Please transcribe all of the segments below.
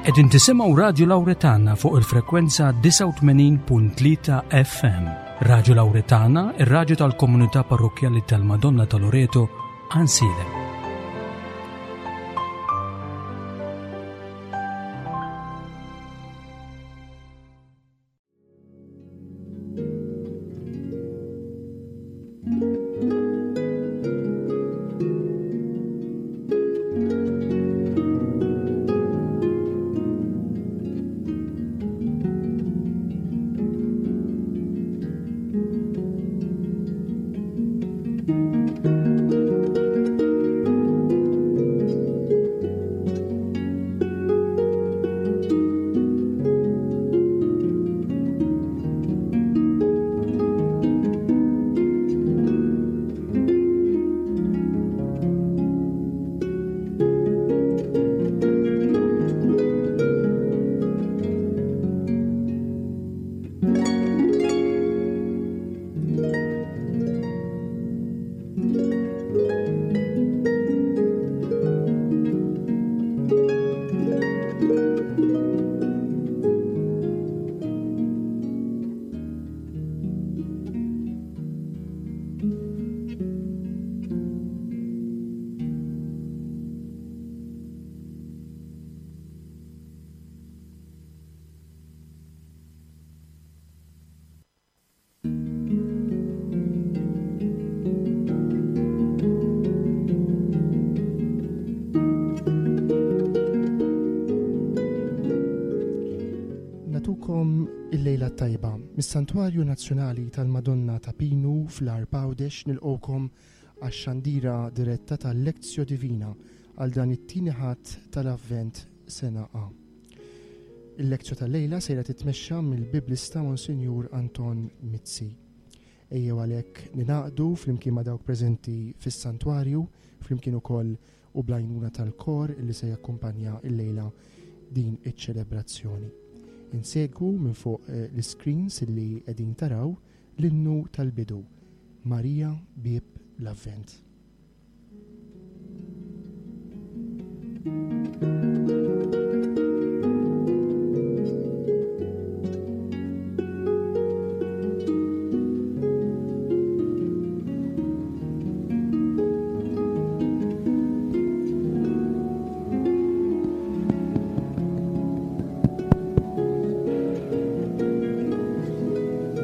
Qegħdin tisimgħu Radju Lawretana fuq il-frekwenza 89.3 FM. Radju Lawretana, ir-radju tal-komunità parrokkjali tal-Madonna ta' Loreto, Ansiedem. Natukom il-lejla tajba. Mis-Santwarju Nazzjonali tal-Madonna ta' Pinu fl-Għarb Għawdex nilqgħukom għax-xandira diretta tal-Lectio Divina għal dan it-tieni Ħadd tal-Avvent sena A. Il-lectio tal-lejla sejra titmexxa mill-Biblista Monsinjur Anton Mizzi. Ejjew għalhekk ningħaqdu flimkien ma' dawk preżenti fis-santwarju, flimkien ukoll u bl-għajnuna tal-kor li se jakkumpanja l-lejla din iċ-ċelebrazzjoni. Insegwu minn fuq eh, l-screens li qegħdin taraw l-innu tal-bidu, Marija Bieb l-Avvent.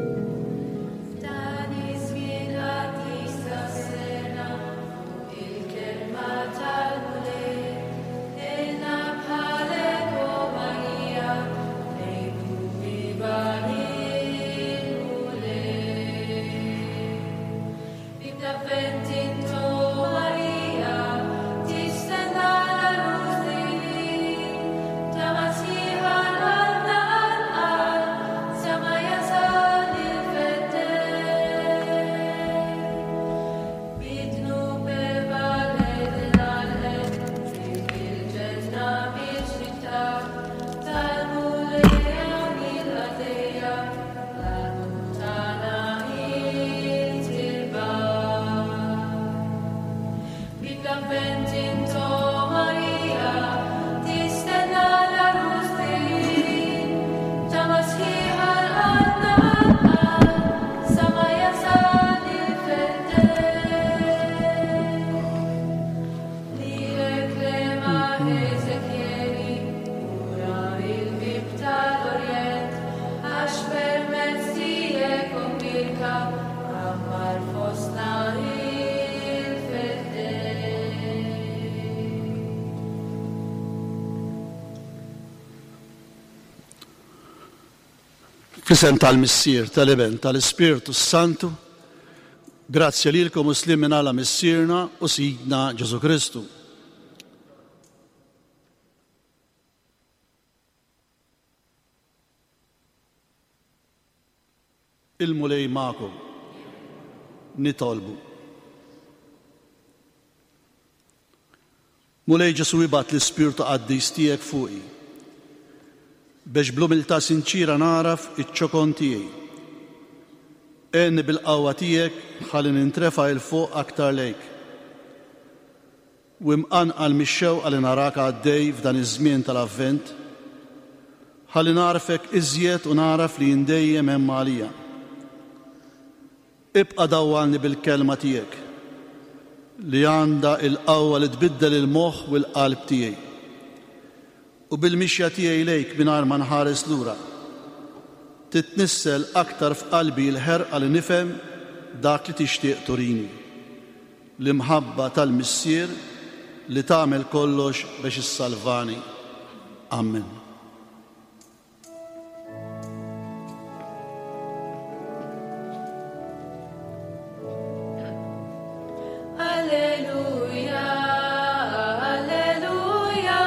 F'dan iż-żmien qaddis tas-sena, fuq il-kelma tal-Mulej, ilna bħalek, o Marija, ngħidu viva lill-Mulej. Bieb l-Avvent int, o Marija, tistenna l-għarus divin, tama sħiħa l-qalbna għall-qalb, sa ma jasal il-Feddej. Bid-dnub Eva l-Eden għalqet, triq il-ġenna biex tiftaħ, tal-Mulej għamil qaddejja, l-almu tagħna int tirbaħ. Bieb l-Avvent int, o Marija, tistenna l-għarus divin, tama sħiħa l-qalbna għall-qalb, sa ma jasal il-Feddej. Lilek lema Eżekjeli, ura il-bieb tal-Orjent, għax permezz tiegħek o Mbierka, għammar fostna il-Feddej. Fl-isem tal-Missier, tal-Iben, tal-Ispirtu s-Santu, grazzja lilkom u sliem minn Alla Missierna u Sidna Ġesù Kristu. Il-Mulej magħkom. Nitolbu. Mulej Ġesù ibgħat l-Ispirtu Qaddis tiegħek fuqi biex bl-umiltà sinċiera nagħraf iċ-ċokon tiegħi. Għenni bil-qawwa tiegħek ħalli nintrefa' 'il fuq aktar lejk. U imqanqal mix-xewqa li narak għaddej f'dan iż-żmien tal-Avvent. Ħalli nagħrfek iżjed u nagħraf li int dejjem hemm għalija. Ibqa' dawwalni bil-Kelma tiegħek, li għandha l-qawwa li tbiddel il-moħħ u l-qalb tiegħi. U bil-mixja tiegħi lejk mingħajr ma nħares lura, titnissel aktar f'qalbi l-ħerqa li nifhem dak li tixtieq turini, l-imħabba tal-Missier li tagħmel kollox biex issalvani. Ammen. Alleluja, alleluja,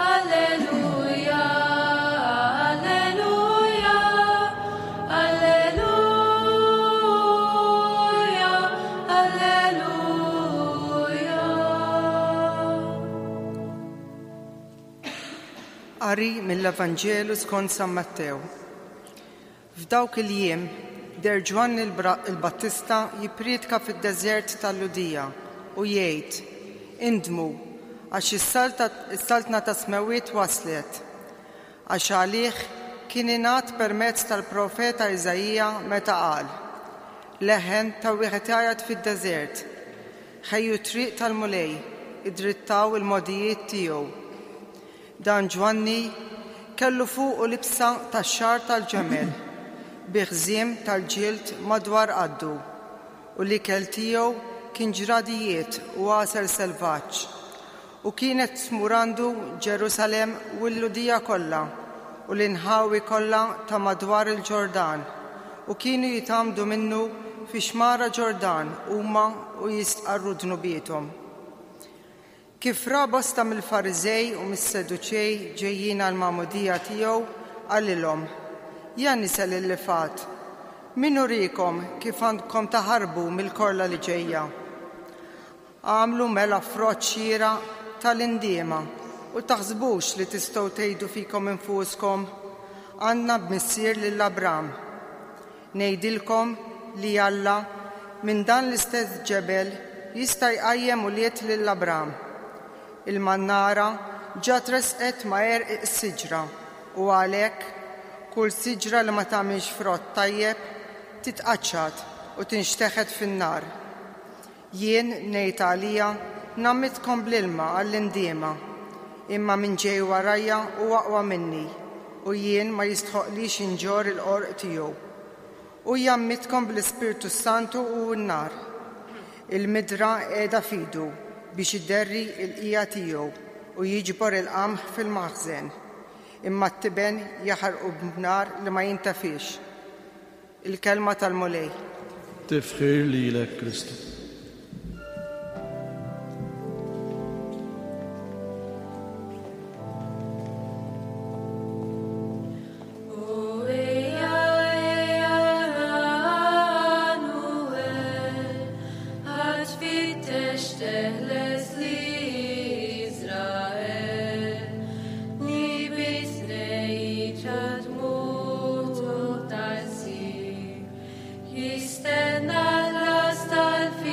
alleluja, alleluja, alleluja, alleluja. Qari mill-Evanġelu skont San Mattew. F'dawk il-jiem, deher Ġwanni l-Battista jipprietka fid-deżert tal-Lhudija u jgħid, Indmu, għax is-saltna tas-smewwiet waslet. Għax għalih kien ingħad permezz tal-profeta Iżaija meta qal, Leħen ta' wieħed jgħajjat fid-deżert, Ħejju t-triq tal-Mulej, iddrittaw il-mogħdijiet tiegħu. Dan Ġwanni kellu fuqu libsa tax-xagħar tal-ġemel, bi ħżiem tal-ġild madwar qaddu, u l-ikel tiegħu kien ġradijiet u għasel selvaġġ. U kienet tmur għandu Ġerusalemm u l-Lhudija kollha u l-inħawi kollha ta' madwar il-Ġordan, u kienu jitgħammdu minnu fix-xmara Ġordan huma u jistqarru dnubiethom. Kif ra bosta mill-Fariżej u mis-Seduċej ġejjin għall-magħmudija tiegħu, qalilhom, Ja nisel il-lifgħat, min uriekom kif għandkom taħarbu mill-korla li ġejja? Agħmlu mela frott xieraq ta' l-indiema, u taħsbux li tistgħu tgħidu fikom infuskom, 'Għandna b'missier lil Abram. Ngħidilkom li Alla, minn dan l-istess ġebel, jista' jqajjem ulied lil Abram. Il-mannara ġa tressqet ma' għerq is-siġra, u għalhekk, kull siġra li ma tagħmilx frott tajjeb titqaċċat u tinxteħet fin-nar. Jien, ngħid għalija, ngħammidkom bl-ilma għall-indiema, imma min ġej warajja hu aqwa minni, u jien ma jistħoqqlix inġorr il-qorq tiegħu. Hu jgħammidkom bl-Ispirtu s-Santu u n-nar. Il-midra qiegħda f'idu biex iderri l-qiegħa tiegħu u jiġbor il-qamħ fil-maħżen, imma t-tiben jaħarqu b'nar li ma jintefiex. Il-Kelma tal-Mulej. Tifħir lilek, Kristu. Jistenna l-las tal-fidwa.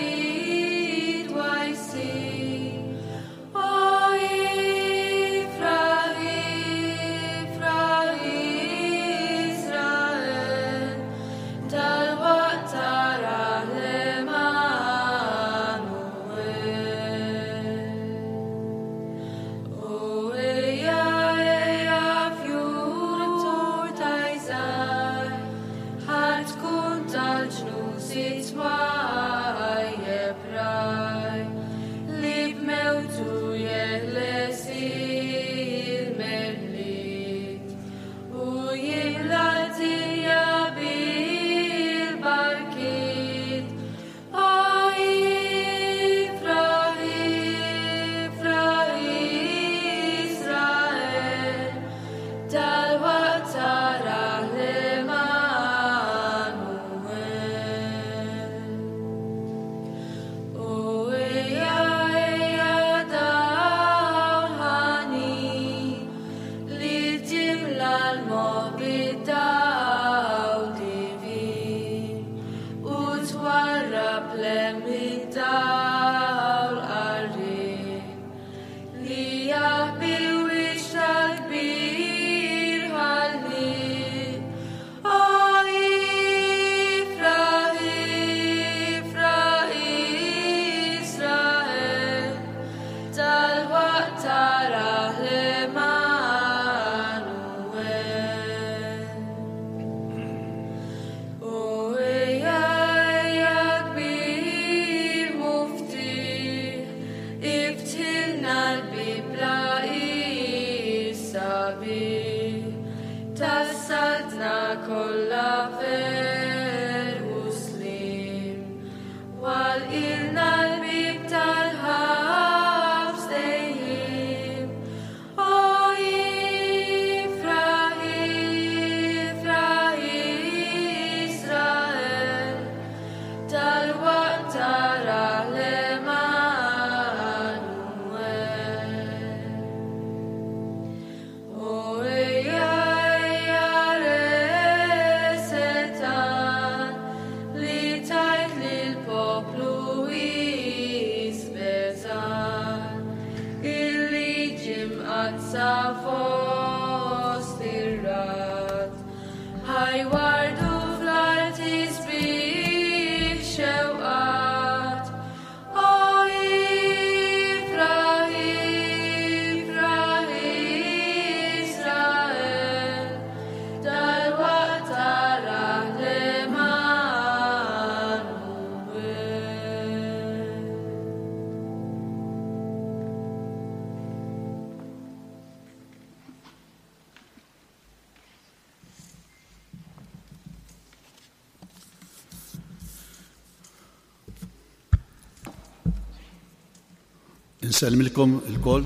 Insellmilkom ilkoll.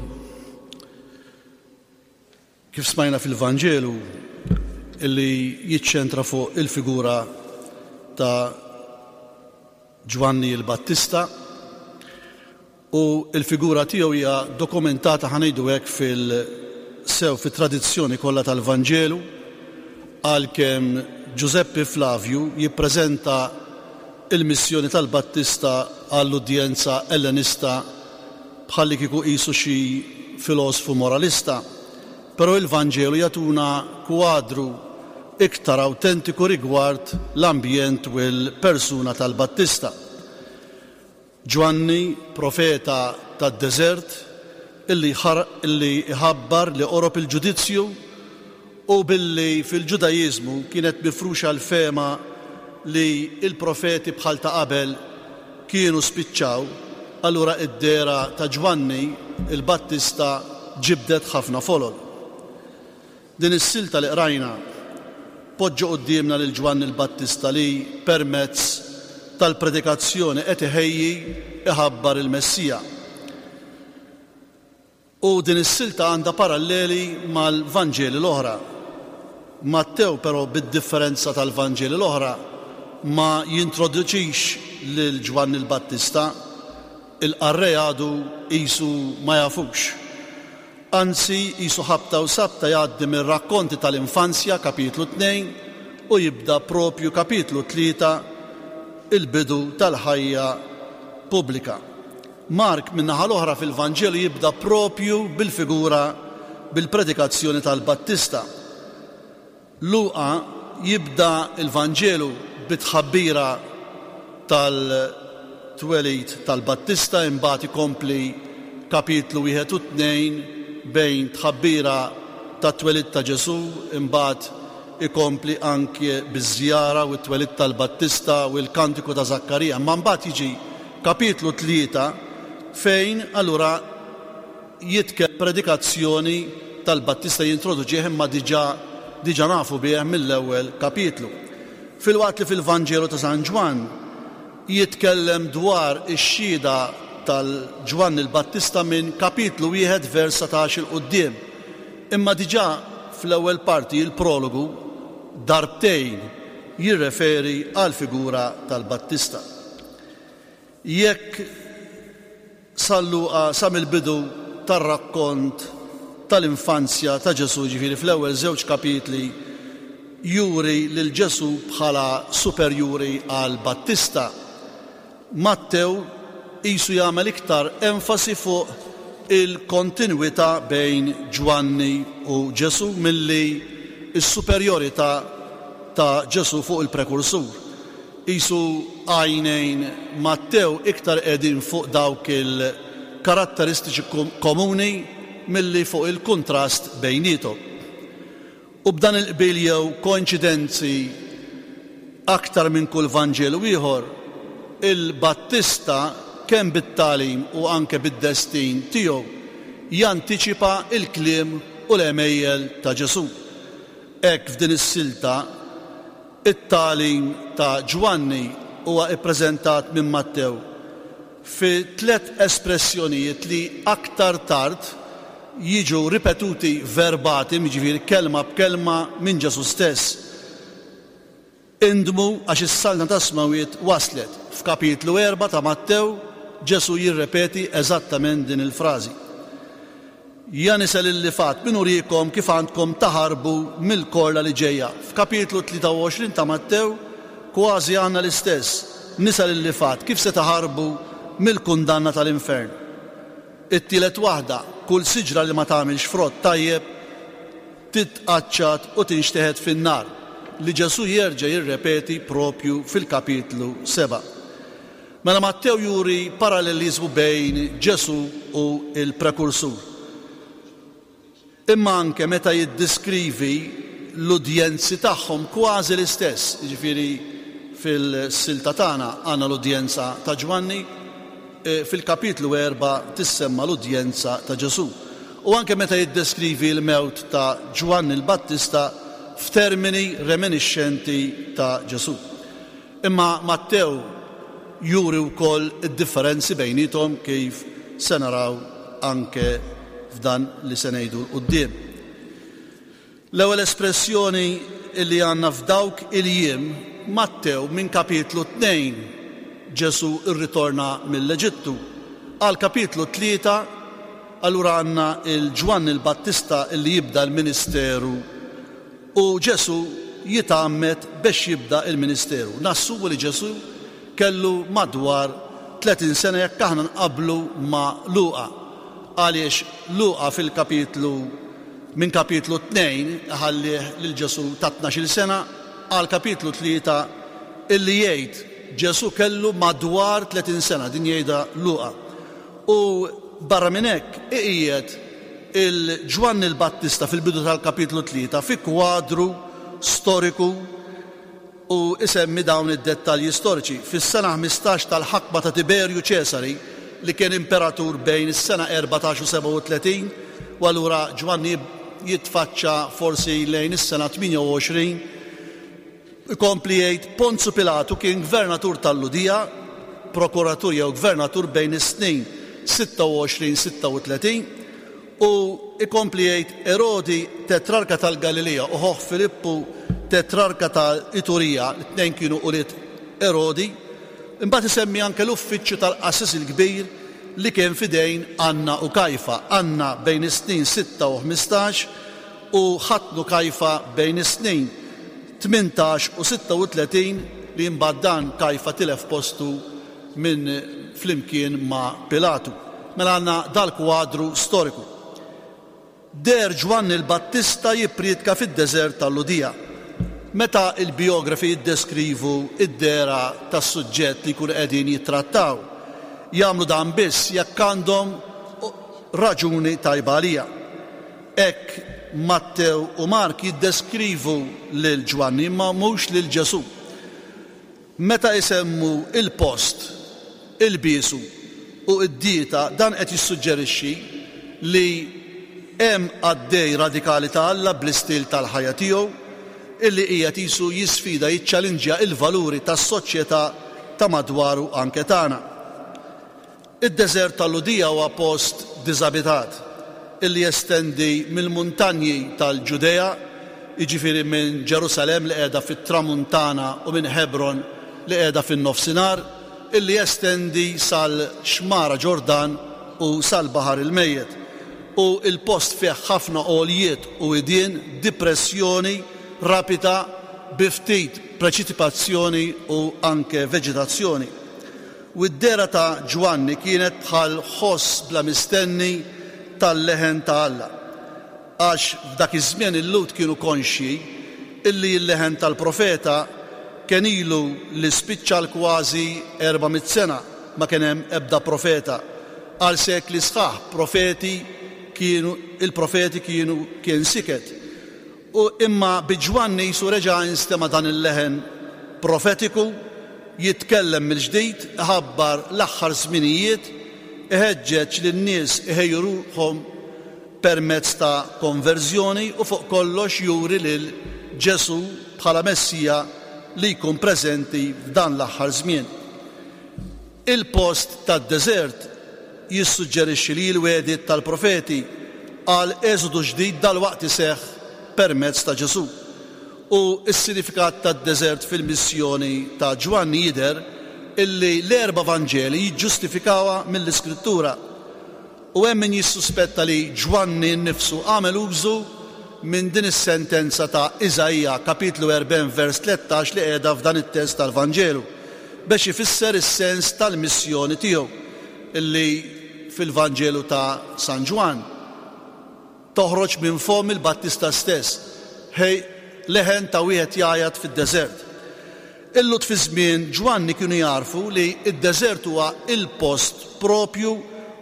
Kif smajna fil-Vanġelu illi jiċċentra fuq il-figura ta' Ġwanni l-Battista u l-figura tiegħu hija dokumentata ħa ngħidu hekk fil sew fit-tradizzjoni kollha tal-Vanġelu għalkemm Ġużeppi Flavju jippreżenta l-missjoni tal-Battista għall-udjenza Ellenista bħallikieku qisu xi filosfu moralista, però il-Vanġelu jagħtuna kwadru iktar awtentiku rigward l-ambjent u l-persuna tal-Battista. Ġwanni, profeta tad-deżert, illi illi jħabbar li qorob il-ġudizzju u billi fil-Ġudaiżmu kienet mifruxa l-fehma li l-profeti bħal ta' qabel kienu spiċċaw, allura d-dehra ta' Ġwanni l-Battista ġibdet ħafna folol. Din is-silta li qrajna tpoġġi quddiemna lil Ġwanni l-Battista li, permezz tal-predikazzjoni qed iħejji iħabbar il-Messija. U din is-silta għandha paralleli mal-Vanġeli l-oħra. Mattew però bid-differenza tal-Vanġeli l-oħra ma jintroduċix lil Ġwanni l-Battista, il-qarrej għadu qisu ma jafux. Anzi, qisu ħabta u sabta jgħaddi mir-rakkonti tal-infanzja, kapitlu 2, u jibda proprju kapitlu 3, il-bidu tal-ħajja pubblika. Mark, min-naħa l-oħra, fil-Vanġelu jibda proprju bil-figura bil-predikazzjoni tal-Battista. Luqa jibda l-Vanġelu bit-tħabbira tal-twelid tal-Battista imbagħad ikompli kapitlu wieħed u tnejn bejn tħabbira tat-twelid ta' Ġesù imbagħad ikompli anke biż-żjara u t-twelid tal-Battista u l-kantiku ta' Żakkarija. Imma mbagħad jiġi kapitlu tlieta fejn allura jitkellem predikazzjoni tal-Battista jintroduċih imma diġà diġà nafu bih mill-ewwel kapitlu. Filwaqt li fil-Vanġelu ta' San Ġwann jitkellem dwar ix-xhieda tal-Ġwanni l-Battista minn kapitlu wieħed vers 19 'il quddiem. Imma diġà fl-ewwel parti, il-prologu, darbtejn jirreferi għall-figura tal-Battista. Jekk San Luqa sa mill-bidu tar-rakkont tal-infanzja ta' Ġesù, jiġifieri fl-ewwel żewġ kapitli, juri lil Ġesù bħala superjuri għal Battista, Mattew qisu jagħmel iktar enfasi fuq il-kontinwità bejn Ġwanni u Ġesù milli s-superjorità ta' Ġesù fuq il-prekursur. Qisu għajnejn Mattew iktar qegħdin fuq dawk il-karatteristiċi komuni milli fuq il-kuntrast bejniethom. U b'dan il-qbil jew koinċidenzi aktar minn kull Vanġelu ieħor, il-Battista kemm bit-tagħlim u anke bid-destin tiegħu jantiċipa l-kliem u l-għemejjel ta' Ġesù. Hekk f'din is-silta It-tagħlim ta' Ġwanni huwa ppreżentat minn Mattew fi tlett espressjonijiet li aktar tard jiġu ripetuti verbatim, jiġifieri kelma b'kelma, minn Ġesù stess, Indmu għax is-Saltna tas-Smewwiet waslet. F'kapitlu erbgħa ta' Mattew, Ġesù jirrepeti eżattament din il-frażi. Ja nisel il-lifgħat, min uriekom kif għandkom taħarbu mill-korla li ġejja? F'kapitlu 23 ta' Mattew kważi għandna l-istess, Nisel il-lifgħat, kif se taħarbu mill-kundanna tal-infern? It-tielet waħda, kull siġra li ma tagħmilx frott tajjeb titqaċċat u tinxteħet fin-nar, li Ġesù jerġa' jirrepeti proprju fil-kapitlu 7. Mela Mattew juri paralleliżmu bejn Ġesù u l-prekursur. Imma anke meta jiddiskrivi l-udjenzi tagħhom kważi l-istess, jiġifieri fil-silta tagħna għandna l-udjenza ta' Ġwanni, fil-kapitlu erbgħa tissemma l-udjenza ta' Ġesù. U anke meta jiddeskrivi l-mewt ta' Ġwanni l-Battista f'termini reminixxenti ta' Ġesù. Imma Mattew juri wkoll id-differenzi bejniethom kif se naraw anke f'dan li se ngħidu 'l quddiem. L-ewwel espressjoni li għandna f'dawk il-jiem, Mattew minn kapitlu 2, Ġesù rritorna mill-Eġittu, għal kapitlu 3, allura għandna 'l Ġwanni l-Battista li jibda l-ministeru u Ġesù jitgħammed bex jibda l-ministeru. Nassumu li Ġesù kellu madwar 30 sena jekk aħna nqabblu ma' Luqa. Għaliex Luqa fil-kapitlu minn kapitlu 2 iħallih lil Ġesù ta' tnax-il sena għal kapitlu 3 illi jgħid Ġesù kellu madwar 30 sena, din jgħidha Luqa. U barra minn hekk iqiegħed il Ġwanni l-Battista fil-bidu tal-kapitlu 3 fi kwadru storiku u isemmi dawn id-dettalji storiċi, Fis-sena 15 tal-ħakma ta' Tiberju Ċesari, li kien imperatur bejn is-sena 14 u 37, u allura Ġwanni jitfaċċa forsi lejn is-sena 28, ikompli jgħid, Ponzu Pilatu kien gvernatur tal-Lhudija, prokuratur jew gvernatur bejn is-snin 26 36, U ikompli jgħid, Erodi, tetrarka tal-Galilija, u ħuh Filippu, tetrarka ta' Iturija, it-tnejn kienu ulied Erodi. Imbagħad isemmi anke l-uffiċċju tal-qassis il-kbir li kien f'idejn Anna u Kajfa, Anna bejn is-snin sitta u 15 u ħatnu Kajfa bejn is-snin 18 u 36, li imbagħad dan Kajfa tilef postu minn flimkien ma' Pilatu. Mela għandna dal-kwadru storiku. Deher Ġwanni l-Battista jippriedka fid-deżert tal-Lhudija. Meta l-bijografi jiddeskrivu d-dehra tas-suġġett li jkunu qegħdin jittrattaw, jagħmlu dan biss jekk għandhom raġuni tajba għaliha. Hekk Mattew u Mark jiddeskrivu lil Ġwanni imma mhux lil Ġesù. Meta isemmu l-post, ilbiesu u d-dieta dan qed jissuġġerixxi li hemm qaddej radikali ta' Alla bl-istil tal-ħajja tiegħu illi qiegħed qisu jisfida, jiċċalinġja il-valuri tas-soċjetà ta' madwaru anke tagħna. Id-deżert tal-Lhudija huwa post diżabitat illi jestendi mill-muntanji tal-Ġudea, jiġifieri minn Ġerusalemm li qiegħda fit-tramuntana u minn Ħebron li qiegħda fin-nofsinhar, illi jestendi sal-Xmara Ġordan u sal-Baħar il-Mejjet. U l-post fih ħafna għoljiet u widien, dipressjoni rapida bi ftit preċitipazzjoni u anke veġetazzjoni. U d-dehra ta' Ġwanni kienet bħal ħoss bla mistenni tal-leħen ta' Alla. Għax f'dak iż-żmien il-Lhud kienu konxji illi l-leħen tal-profeta kien ilu li spiċċa għal kważi 400 sena ma kien hemm ebda profeta. Għal sekli sħaħ profeti kienu il-profeti kienu kien siket. U imma bi Ġwanni qisu reġa' instema' dan il-leħen profetiku, jitkellem mill-ġdid, iħabbar l-aħħar żminijiet, iħeġġeġ lin-nies iħejju ruħhom permezz ta' konverżjoni u fuq kollox juri lil Ġesù bħala Messija li jkun preżenti f'dan l-aħħar żmien. Il-post tad-deżert jissuġġerixxi li l-wegħdiet tal-profeti għal eżodu ġdid dalwaqt iseħħ permezz ta' Ġesù. U s-sinifikat tad-deżert fil-missjoni ta' Ġwanni jidher illi l-erba' Vanġeli jiġġustifikawha mill-Iskrittura. U hemm min jissuspetta li Ġwanni nnifsu għamel użu minn din is-sentenza ta' Iżaija kapitlu 40 vers 13 li qiegħda f'dan it-test tal-Vanġelu bex ifisser is-sens tal-missjoni tiegħu li fil-Vanġelu ta' San Ġwann toħroġ minn fomm il-Battista stess, Ħej, leħen ta' wieħed jgħajjat fid-deżert. Il-Lhud fi żmien Ġwanni kienu jagħrfu li d-deżert huwa l-post proprju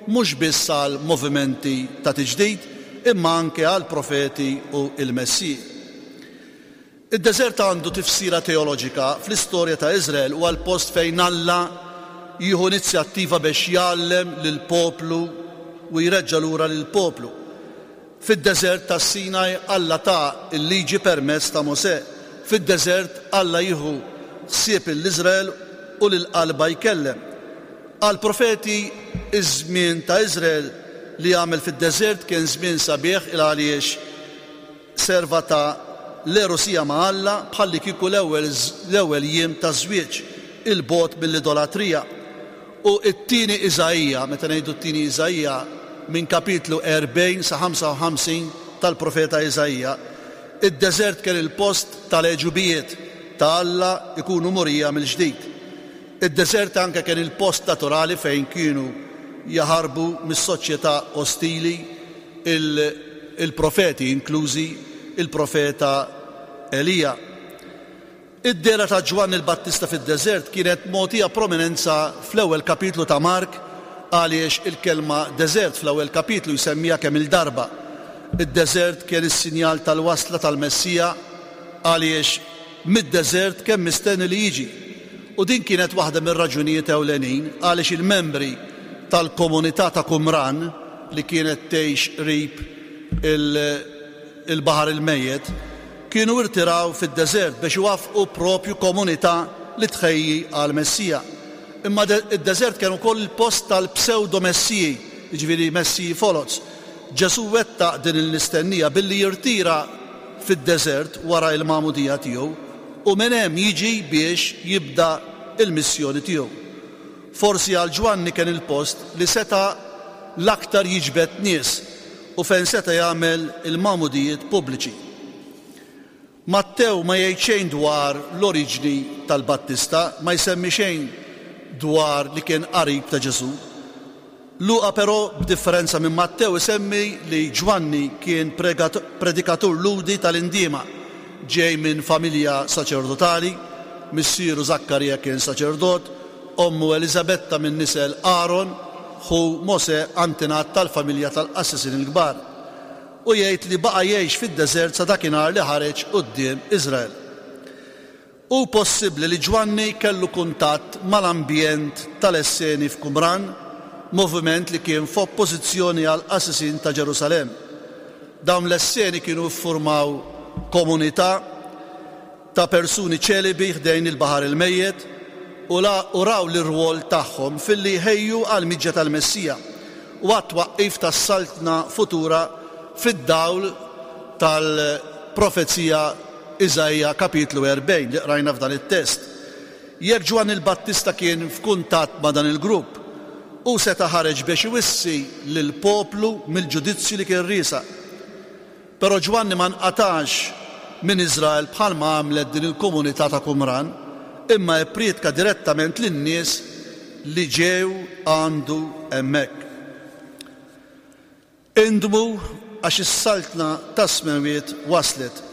mhux biss għal movimenti ta' tiġdid imma anke għall-profeti u l-messiji. Id-deżert għandu tifsira teoloġika fl-istorja ta' Iżrael, huwa l-post fejn Alla jieħu inizjattiva bex jgħallem lill-poplu u jreġġa' lura lill-poplu. Fid-deżert tas-Sinaj Alla ta l-liġi permezz ta' Mosè. Fid-deżert Alla jieħu ħsieb 'l Iżrael u lil qalbha jkellem. Għall-profeti iż-żmien ta' Iżrael li għamel fid-deżert kien żmien sabiħ il għaliex serva ta' l-għerusija ma' Alla bħallikieku l-ewwel l-ewwel jiem taż-żwieġ, 'il bogħod mill-idolatrija. U t-tieni Iżaija, meta ngħidu t-tieni Iżaija, minn kapitlu 40 sa 55 tal-profeta Iżaija, id-deżert kien il-post tal-għeġubijiet ta' Alla jkunu murija mill-ġdid. Id-deżert anke kien il-post naturali fejn kienu jaħarbu mis-soċjetà ostili il-profeti, inklużi il-profeta Elija. Id-dehra ta' Ġwanni l-Battista fid-deżert kienet mogħtija prominenza fl-ewwel kapitlu ta' Mark għaliex il-kelma deżert fl-ewwel kapitlu jsemmiha kemm-il darba. Id-deżert kien is-sinjal tal-wasla tal-Messija għaliex mid-deżert kien mistenni li jiġi. U din kienet waħda mir-raġunijiet ewlenin għaliex il-membri tal-komunità ta' Qumran li kienet tgħix qrib il-Baħar il-Mejjet kienu irtiraw fid-deżert biex iwaffqu propju komunità li tħejji għall-Messija. Imma d-deżert kien ukoll il-post tal-psewdo-messiji, jiġifieri messiji foloz. Ġesù wettaq din il-mistennija billi jirtira fid-deżert wara l-magħmudija tiegħu u minn hemm jiġi biex jibda l-missjoni tiegħu. Forsi għal Ġwanni kien il-post li seta' l-aktar jiġbed nies u fejn seta' jagħmel il-magħmudijiet pubbliċi. Mattew ma jgħid xejn dwar l-oriġni tal-Battista, ma jsemmi xejn dwar li kien qarib ta' Ġesù. Luqa però, b'differenza minn Mattew, isemmi li Ġwanni kien predikatur Lhudi tal-indiema, ġej minn familja saċerdotali, missieru Żakkarija kien saċerdot, ommu Eliżabetta minn nisel Aron, ħu Mosè antenat tal-familja tal-qassisin il-kbar. U jgħid li baqa' jgħix fid-deżert sa dakinhar li ħareġ quddiem Iżrael. Hu possibbli li Ġwanni kellu kuntatt mal-ambjent tal-Esseni f'Qumran, moviment li kien f'oppożizzjoni għall-qassisin ta' Ġerusalemm. Dawn l-Esseni kienu ffurmaw komunità ta' persuni ċelibi ħdejn il-Baħar il-Mejjet u u raw l-irwol tagħhom filli jħejju għall-miġja tal-Messija u għat-twaqqif tas-Saltna futura fid-dawl tal-profezija Iżaija kapitlu 40 li qrajna f'dan it-test. Jekk Ġwanni l-Battista kien f'kuntatt ma' dan il-grupp, hu seta' ħareġ biex iwissi lill-poplu mill-ġudizzju li kien riesaq. Però Ġwanni ma nqatax minn Iżrael bħalma għamlet din il-komunità ta' Qumran, imma ipprietka direttament lin-nies li ġew għandu hemmhekk. Indmu għax is-Saltna tas-Smewwiet waslet.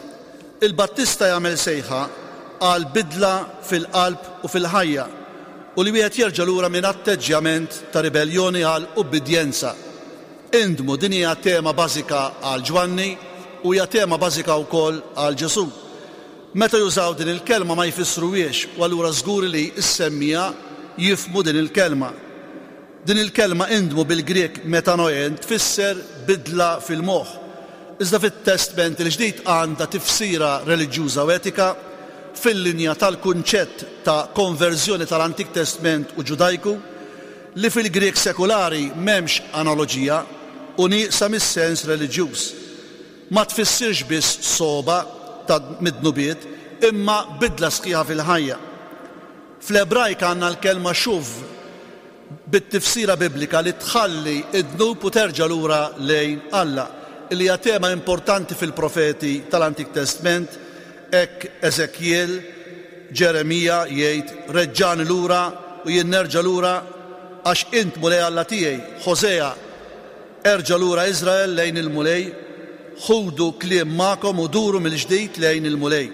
Il-Battista jagħmel sejħa għal bidla fil-qalb u fil-ħajja u li wieħed jerġa' lura minn atteġġjament ta' ribelljoni għal ubbidjenza. Indmu, din hija tema bażika għal Ġwanni u hija tema bażika wkoll għal Ġesù. Meta jużaw din il-kelma ma jfissruhiex u allura żgur li s-semmiegħa jifhmu din il-kelma. Din il-kelma indmu bil-Grieg metanoen tfisser bidla fil-moħħ. Iżda fit-Testment il-Ġdid għandha tifsira reliġjuża u etika fil-linja tal-kunċett ta' konverżjoni tal-Antik Testment u Ġudajku, li fil-Grieg sekulari m'hemmx analoġija u nieqsa mis-sens reliġjuż. Ma tfissirx biss sogħba ta' mid-dnubiet imma bidla sħiħa fil-ħajja. Fl-Ebrajk għandna l-kelma shuv bit-tifsira Biblika li tħalli d-dnub u terġa' lura lejn Alla, li hija tema importanti fil-profeti tal-Antik Testment, hekk Eżekjiel, Ġeremija jgħid, Reġġagħni lura u jien nerġa' lura, għax int Mulej Alla tiegħi, Ħosea, Erġa' lura Iżrael lejn il-Mulej, ħudu kliem magħkom u duru mill-ġdid lejn il-Mulej.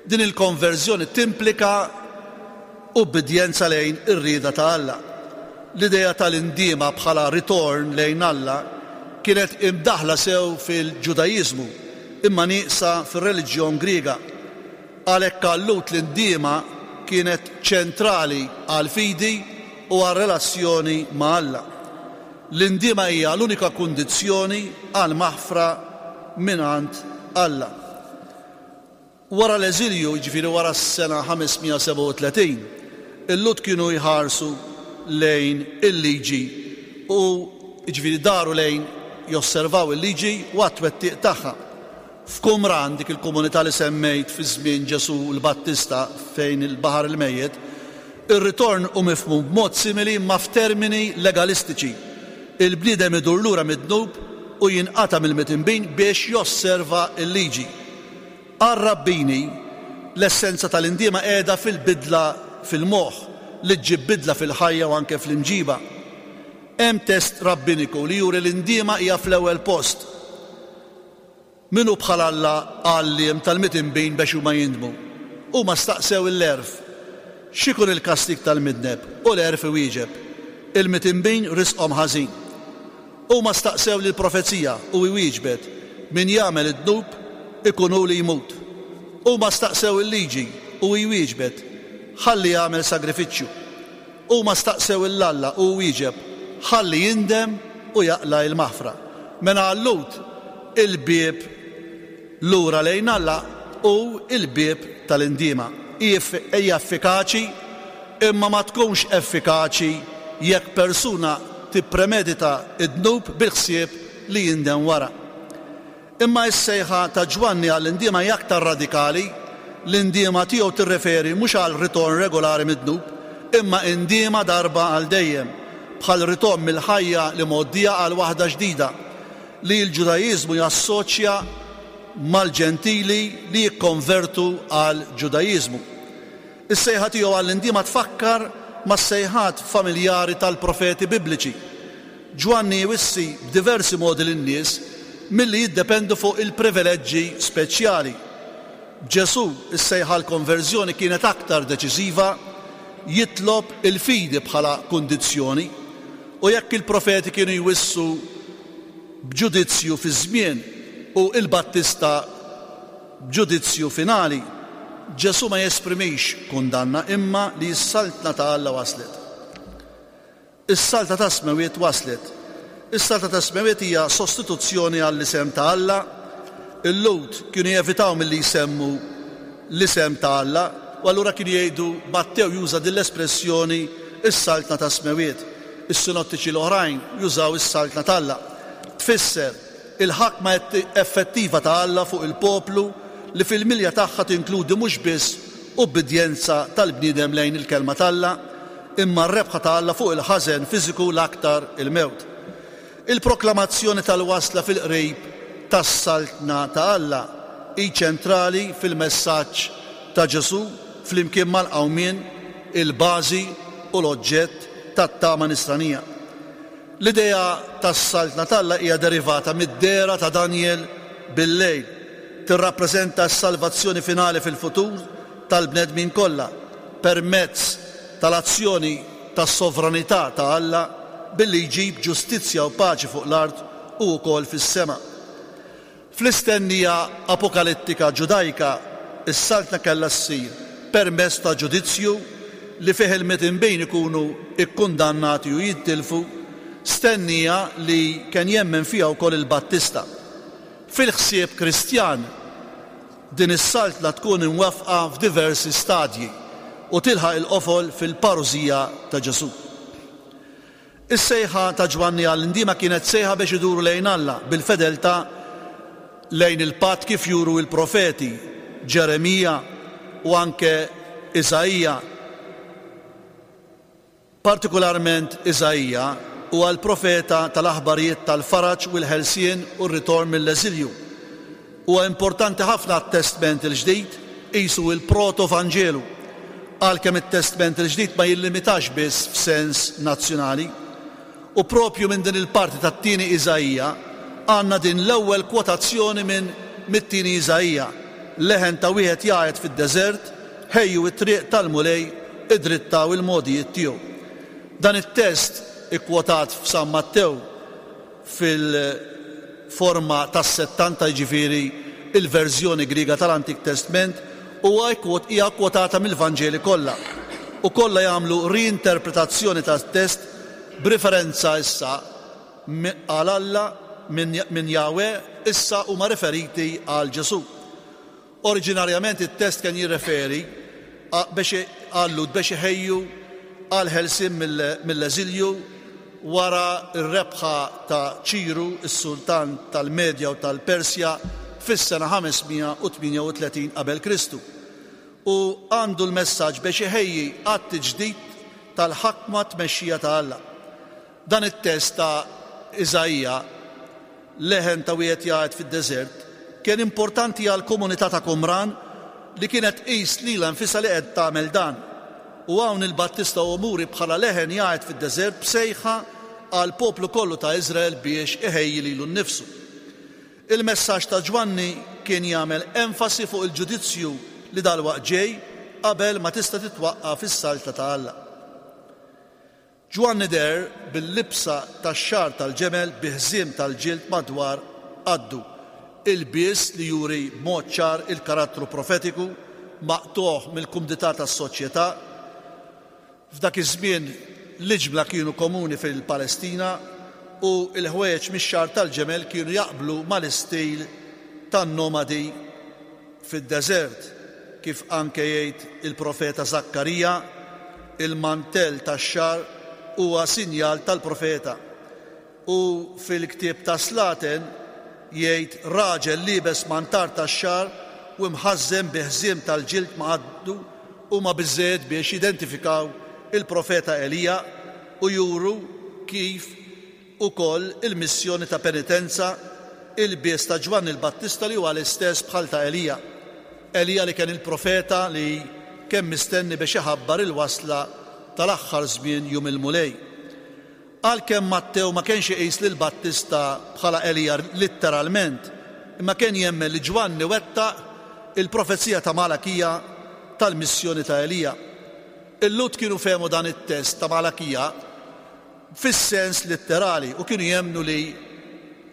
Din il-konverżjoni timplika ubbidjenza lejn ir-rieda ta' Alla. L-idea tal-indiema bħala ritorn lejn Alla kienet imdaħħla sew fil-Ġudaiżmu imma nieqsa fir-reliġjon Griega. Għalhekk għal-Lhud l-indiema kienet ċentrali għall-fidi u għar-relazzjoni ma' Alla. L-indiema hija l-unika kundizzjoni għall-maħfra mingħand Alla. Wara l-eżilju, jiġifieri wara s-sena 537, il-Lhud kienu jħarsu lejn il-liġi u jiġifieri daru lejn josservaw il-liġi u għat-twettiq tagħha. F'Qumran, dik il-komunità li semmejt fi żmien Ġesù l-Battista fejn il-Baħar il-Mejjet, ir-ritorn hu mifhum b'mod simili imma f'termini legalistiċi. Il-bniedem idur lura mid-dnub u jinqata' mill-mitinbin biex josserva l-liġi. Għar-rabbini, l-essenza tal-indiema qiegħda fil-bidla fil-moħħ, li ġġib bidla fil-ħajja u anke fl-imġiba. Hemm test rabbiniku li juri l-indiema hija fl-ewwel post. Min hu bħal Alla għalliem tal-midinbin bex huma jindmu? Huma staqsew il-għerf, X'ikun il-kastig tal-midneb? U l-għerf iwieġeb, Il-midinbin risqhom ħażin. Huma staqsew lill-profezija u hi wieġbet, Min jagħmel id-dnub, ikun hu li jmut. Huma staqsew il-liġi u hi wieġbet, Ħalli jagħmel sagrifiċċju. Huma staqsew 'il Alla u hu wieġeb, Ħalli jindem u jaqla' il-maħfra. Mela għal-Lhud, il-bieb lura lejn Alla hu l-bieb tal-indiema. Hi effikaċi, imma ma tkunx effikaċi jekk persuna tippremedita d-dnub bil-ħsieb li jindem wara. Imma s-sejħa ta' Ġwanni għall-indiema hi aktar radikali, l-indiema tiegħu tirreferi mhux għal ritorn regolari mid-dnub, imma indiema darba għal dejjem, bħal ritorn mill-ħajja l-imgħoddija għal waħda ġdida, li l-Ġudaiżmu jassoċja mal-Ġentili li jikkonvertu għall-Ġudaiżmu. Is-sejħa tiegħu għall-indiema tfakkar mas-sejħat familjari tal-profeti Bibliċi. Ġwanni jwissi b'diversi modi lin-nies milli jiddependu fuq il-privileġġi speċjali. B'Ġesù, is-sejħa għall-konverżjoni kienet aktar deċiżiva, jitlob il-fidi bħala kundizzjoni. U jekk il-profeti kienu jwissu b'ġudizzju fiż-żmien u l-Battista b'ġudizzju finali, Ġesù ma jesprimix kundanna imma li s-Saltna ta' Alla waslet. Is-Saltna tas-Smewwiet waslet. Is-Saltna tas-Smewwiet hija sostituzzjoni għall-isem ta' Alla. Il-Lhud kienu jevitaw milli jsemmu l-isem ta' Alla u allura kienu jgħidu, Mattew juża din l-espressjoni is-Saltna tas-Smewwiet. Is-Sinottiċi l-oħrajn jużaw is-Saltna t'Alla. Tfisser il-ħakma effettiva ta' Alla fuq il-poplu li fil-milja tagħha tinkludi mhux biss ubbidjenza tal-bniedem lejn il-Kelma t'Alla, imma r-rebħa ta' Alla fuq il-ħażen fiżiku l-aktar il-mewt. Il-proklamazzjoni tal-wasla fil-qrib tas-Saltna ta' Alla hi ċentrali fil-messaġġ ta' Ġesù flimkien mal-qawmien, il-bażi u l-oġġett tat-tama Nisranija. L-idea tas-Saltna t'Alla hija derivata mid-dehra ta' Danjel bil-lejl. Tirrappreżenta s-salvazzjoni finali fil-futur tal-bnedmin kollha permezz tal-azzjoni tas-sovranità ta' Alla billi jġib ġustizzja u paċi fuq l-art u wkoll fis-sema. Fl-istennija apokalittika Ġudajka, is-Saltna kellha ssir permezz ta' ġudizzju li fih il-midinbin ikunu kkundannati u jintilfu, stennija li ken jemmen fiha wkoll il-Battista. Fil-ħsieb Kristjan, din is-Saltna tkun imwaffqa f'diversi stadji u tilħaq il-qofol fil-parużija ta' Ġesù. Is-sejħa ta' Ġwanni għall-indiema kienet sejħa biex iduru lejn Alla bil-fedeltà lejn il-patt kif juru l-profeti Ġeremija u anke Iżaija. Partikularment Iżaija huwa l-profeta tal-aħbarijiet tal-faraġ u l-ħelsien u r-ritorn mill-eżilju. Huwa importanti ħafna għat-Testment il-Ġdid, qisu l-proto-Vanġelu, għalkemm it-Testment il-Ġdid ma jillimitax biss f'sens nazzjonali. U proprju minn din il-parti tat-tieni Iżaija għandna din l-ewwel kwotazzjoni minn mit-tieni Iżaija, Leħen ta' wieħed jgħajjat fid-deżert, ħejju t-triq tal-Mulej, idrittaw il-mogħdijiet tiegħu. Dan it-test ikkwotat f'San Mattew fil-forma tas-Settanta, jiġifieri l-verżjoni Griega tal-Antik Testment, huwa hija kkwotata mill-Vanġeli kollha, u kollha jagħmlu riinterpretazzjoni tat-test b'riferenza issa għal Alla minn Jahweh issa huma riferiti għal Ġesù. Oriġinarjament it-test kien jirreferi biex għal-Lhud biex iħejju. għall-ħelsien mill-eżilju wara r-rebħa ta' Ċiru, is-sultan tal-Medja u tal-Persja fis-sena 538 qabel Kristu. U għandu l-messaġġ biex iħejji għat-tiġdid tal-ħakma tmexxija ta' Alla. Dan it-test ta' Iżaija, leħen ta' wieħed jgħajjat fid-deżert, kien importanti għall-komunità ta' Qumran li kienet tqis lilha nfisha li qed tagħmel dan. U hawn il-Battista hu muri bħala leħen jgħajjat fid-deżert b'sejħa għall-poplu kollu ta' Iżrael biex iħejji lilu nnifsu. Il-messaġġ ta' Ġwanni kien jagħmel enfasi fuq il-ġudizzju li dalwaqt ġej qabel ma tista' titwaqqaf is-Saltna ta' Alla. Ġwanni deher bil-libsa tax-xagħar tal-ġemel bi ħżiem tal-ġild madwar qaddu, ilbies li juri b'mod ċar il-karattru profetiku, maqtugħ mill-kumdità tas-soċjetà. F'dak iż-żmien l-iġmla kienu komuni fil-Palestina u l-ħwejjeġ mix-xagħar tal-ġemel kienu jaqblu mal-istil tan-nomadi Fid-deżert, kif anke jgħid il-profeta Żakkarija, il-mantell tax-xagħar huwa sinjal tal-profeta. U fil-ktieb tas-Slaten jgħid raġel liebes mantar tax-xagħar u imħażżem bi ħżiem tal-ġild ma' qaddu huma biżżejjed biex jidentifikaw il-profeta Elija u juru kif ukoll il-missjoni ta' penitenza, ilbies ta' Ġwanni l-Battista li huwa l-istess bħal ta' Elija. Elija li kien il-profeta li kien mistenni biex iħabbar il-wasla tal-aħħar żmien jum il-Mulej. Għalkemm Mattew ma kienx iqis lil Battista bħala Elija litteralment, imma kien jemmen li Ġwanni wettaq il-profezija ta' Malakija tal-missjoni ta' Elija. Il-Lhud kienu fehmu dan it-test ta' Malakija fis-sens litterali u kienu jemmnu li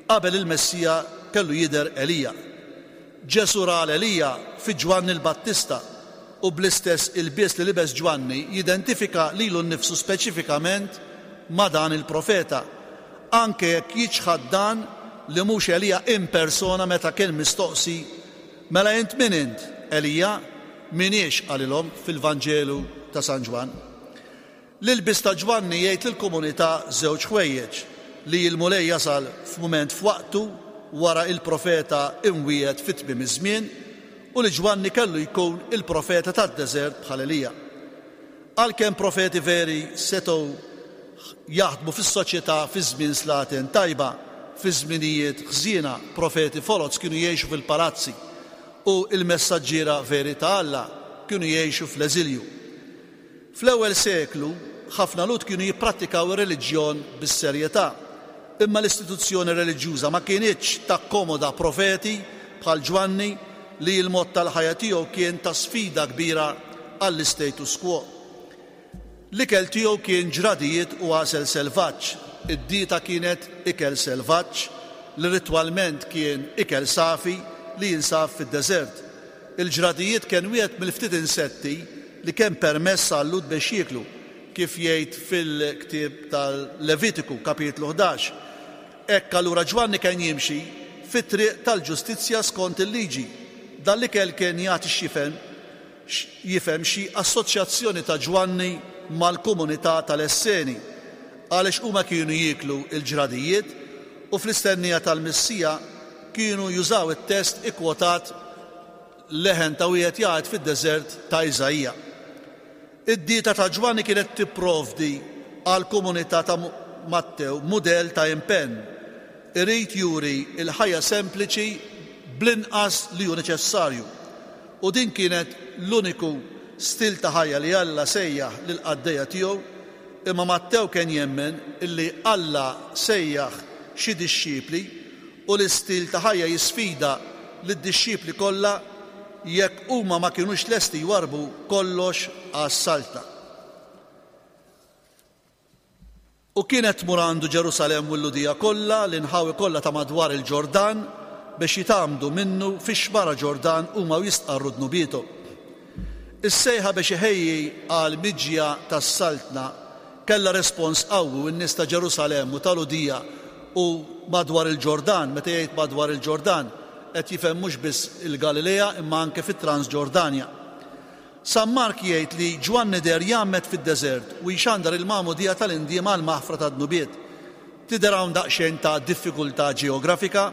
qabel il-Messija kellu jidher Elija. Ġesù ra 'l Elija fi Ġwanni l-Battista u bl-istess ilbies li libes Ġwanni jidentifika lilu nnifsu speċifikament ma' dan il-profeta, anke jekk jiċħad dan li mhux Elija in persona meta kien mistoqsi, Mela int min int, Elija? M'iniex, qalilhom fil-Vanġelu ta' San Ġwann. L-ilbies ta' Ġwanni jgħid lill-komunità żewġ ħwejjeġ, li l-Mulej jasal f'mument f'waqtu wara il-profeta imwiegħed fi tmiem iż-żmien, u li Ġwanni kellu jkun il-profeta tad-deżert bħal Elija. Għalkemm profeti veri setgħu jaħdmu fis-soċjetà fi żmien slaten tajba, fi żminijiet ħżiena profeti foloz kienu jgħixu fil-palazzi u l-messaġġiera veri ta' Alla kienu jgħixu fl-eżilju. Fl-ewwel seklu, ħafna Lhud kienu jipprattikaw ir-reliġjon bis-serjetà. Imma l-istituzzjoni reliġjuża ma kinitx takkomoda profeti bħal Ġwanni li l-mod tal-ħajja tiegħu kien ta' sfida kbira għall-istatus quo. L-ikel tiegħu kien ġradijiet u għasel selvaġġ. Id-dieta kienet ikel selvaġġ li ritwalment kien ikel safi li jinsab fid-deżert. Il-ġradijiet kien wieħed mill-ftit insetti li kien permess għal-Lhud biex jieklu, kif jgħid fil-ktieb tal-Levitiku, kapitlu 11. Hekk allura Ġwanni kien jimxi fit-triq tal-ġustizzja skont il-liġi. Dan l-ikel kien jagħti x'jifhem jifhem xi assoċjazzjoni ta' Ġwanni mal-komunità tal-Esseni, għaliex huma kienu jieklu l-ġradijiet u fl-istennija tal-Messija kienu jużaw it-test ikkwotat leħen ta' wieħed jgħid fid-deżert ta' Iżaija. Id-dieta ta' Ġwanni kienet tipprovdi għall-komunità ta' Mattew mudell ta' impenn. Irid juri l-ħajja sempliċi bl-inqas li hu neċessarju. U din kienet l-uniku stil ta' ħajja li Alla sejjaħ lill-qaddejja tiegħu, imma Mattew kien jemmen illi Alla sejjaħ xi dixxipli u l-istil ta' ħajja jisfida lid-dixxipli kollha jekk huma ma kinux lesti jwarrbu kollox għas-Saltna. U kienet tmur għandu Ġerusalemm u l-Lhudija kollha, l-inħawi kollha ta' madwar il-Ġordan, biex jitgħammdu minnu fix-xmara Ġordan huma u jistqarru dnubiethom. Is-sejħa biex iħejji għall-miġja tas-Saltna kellha respons qawwi u n-nies ta' Ġerusalemm u ta' Lhudija u madwar il-Ġordan, meta jgħid madwar il-Ġordan qed jifhem mhux biss il-Galilea imma anke fit-Transġordanja. San Mark jgħid li Ġwanni deher jgħammed fid-deżert u jxandar il-magħmudija tal-indiema għall-maħfra tad-dnubiet. Tidher hawn daqsxejn ta' diffikultà ġeografika,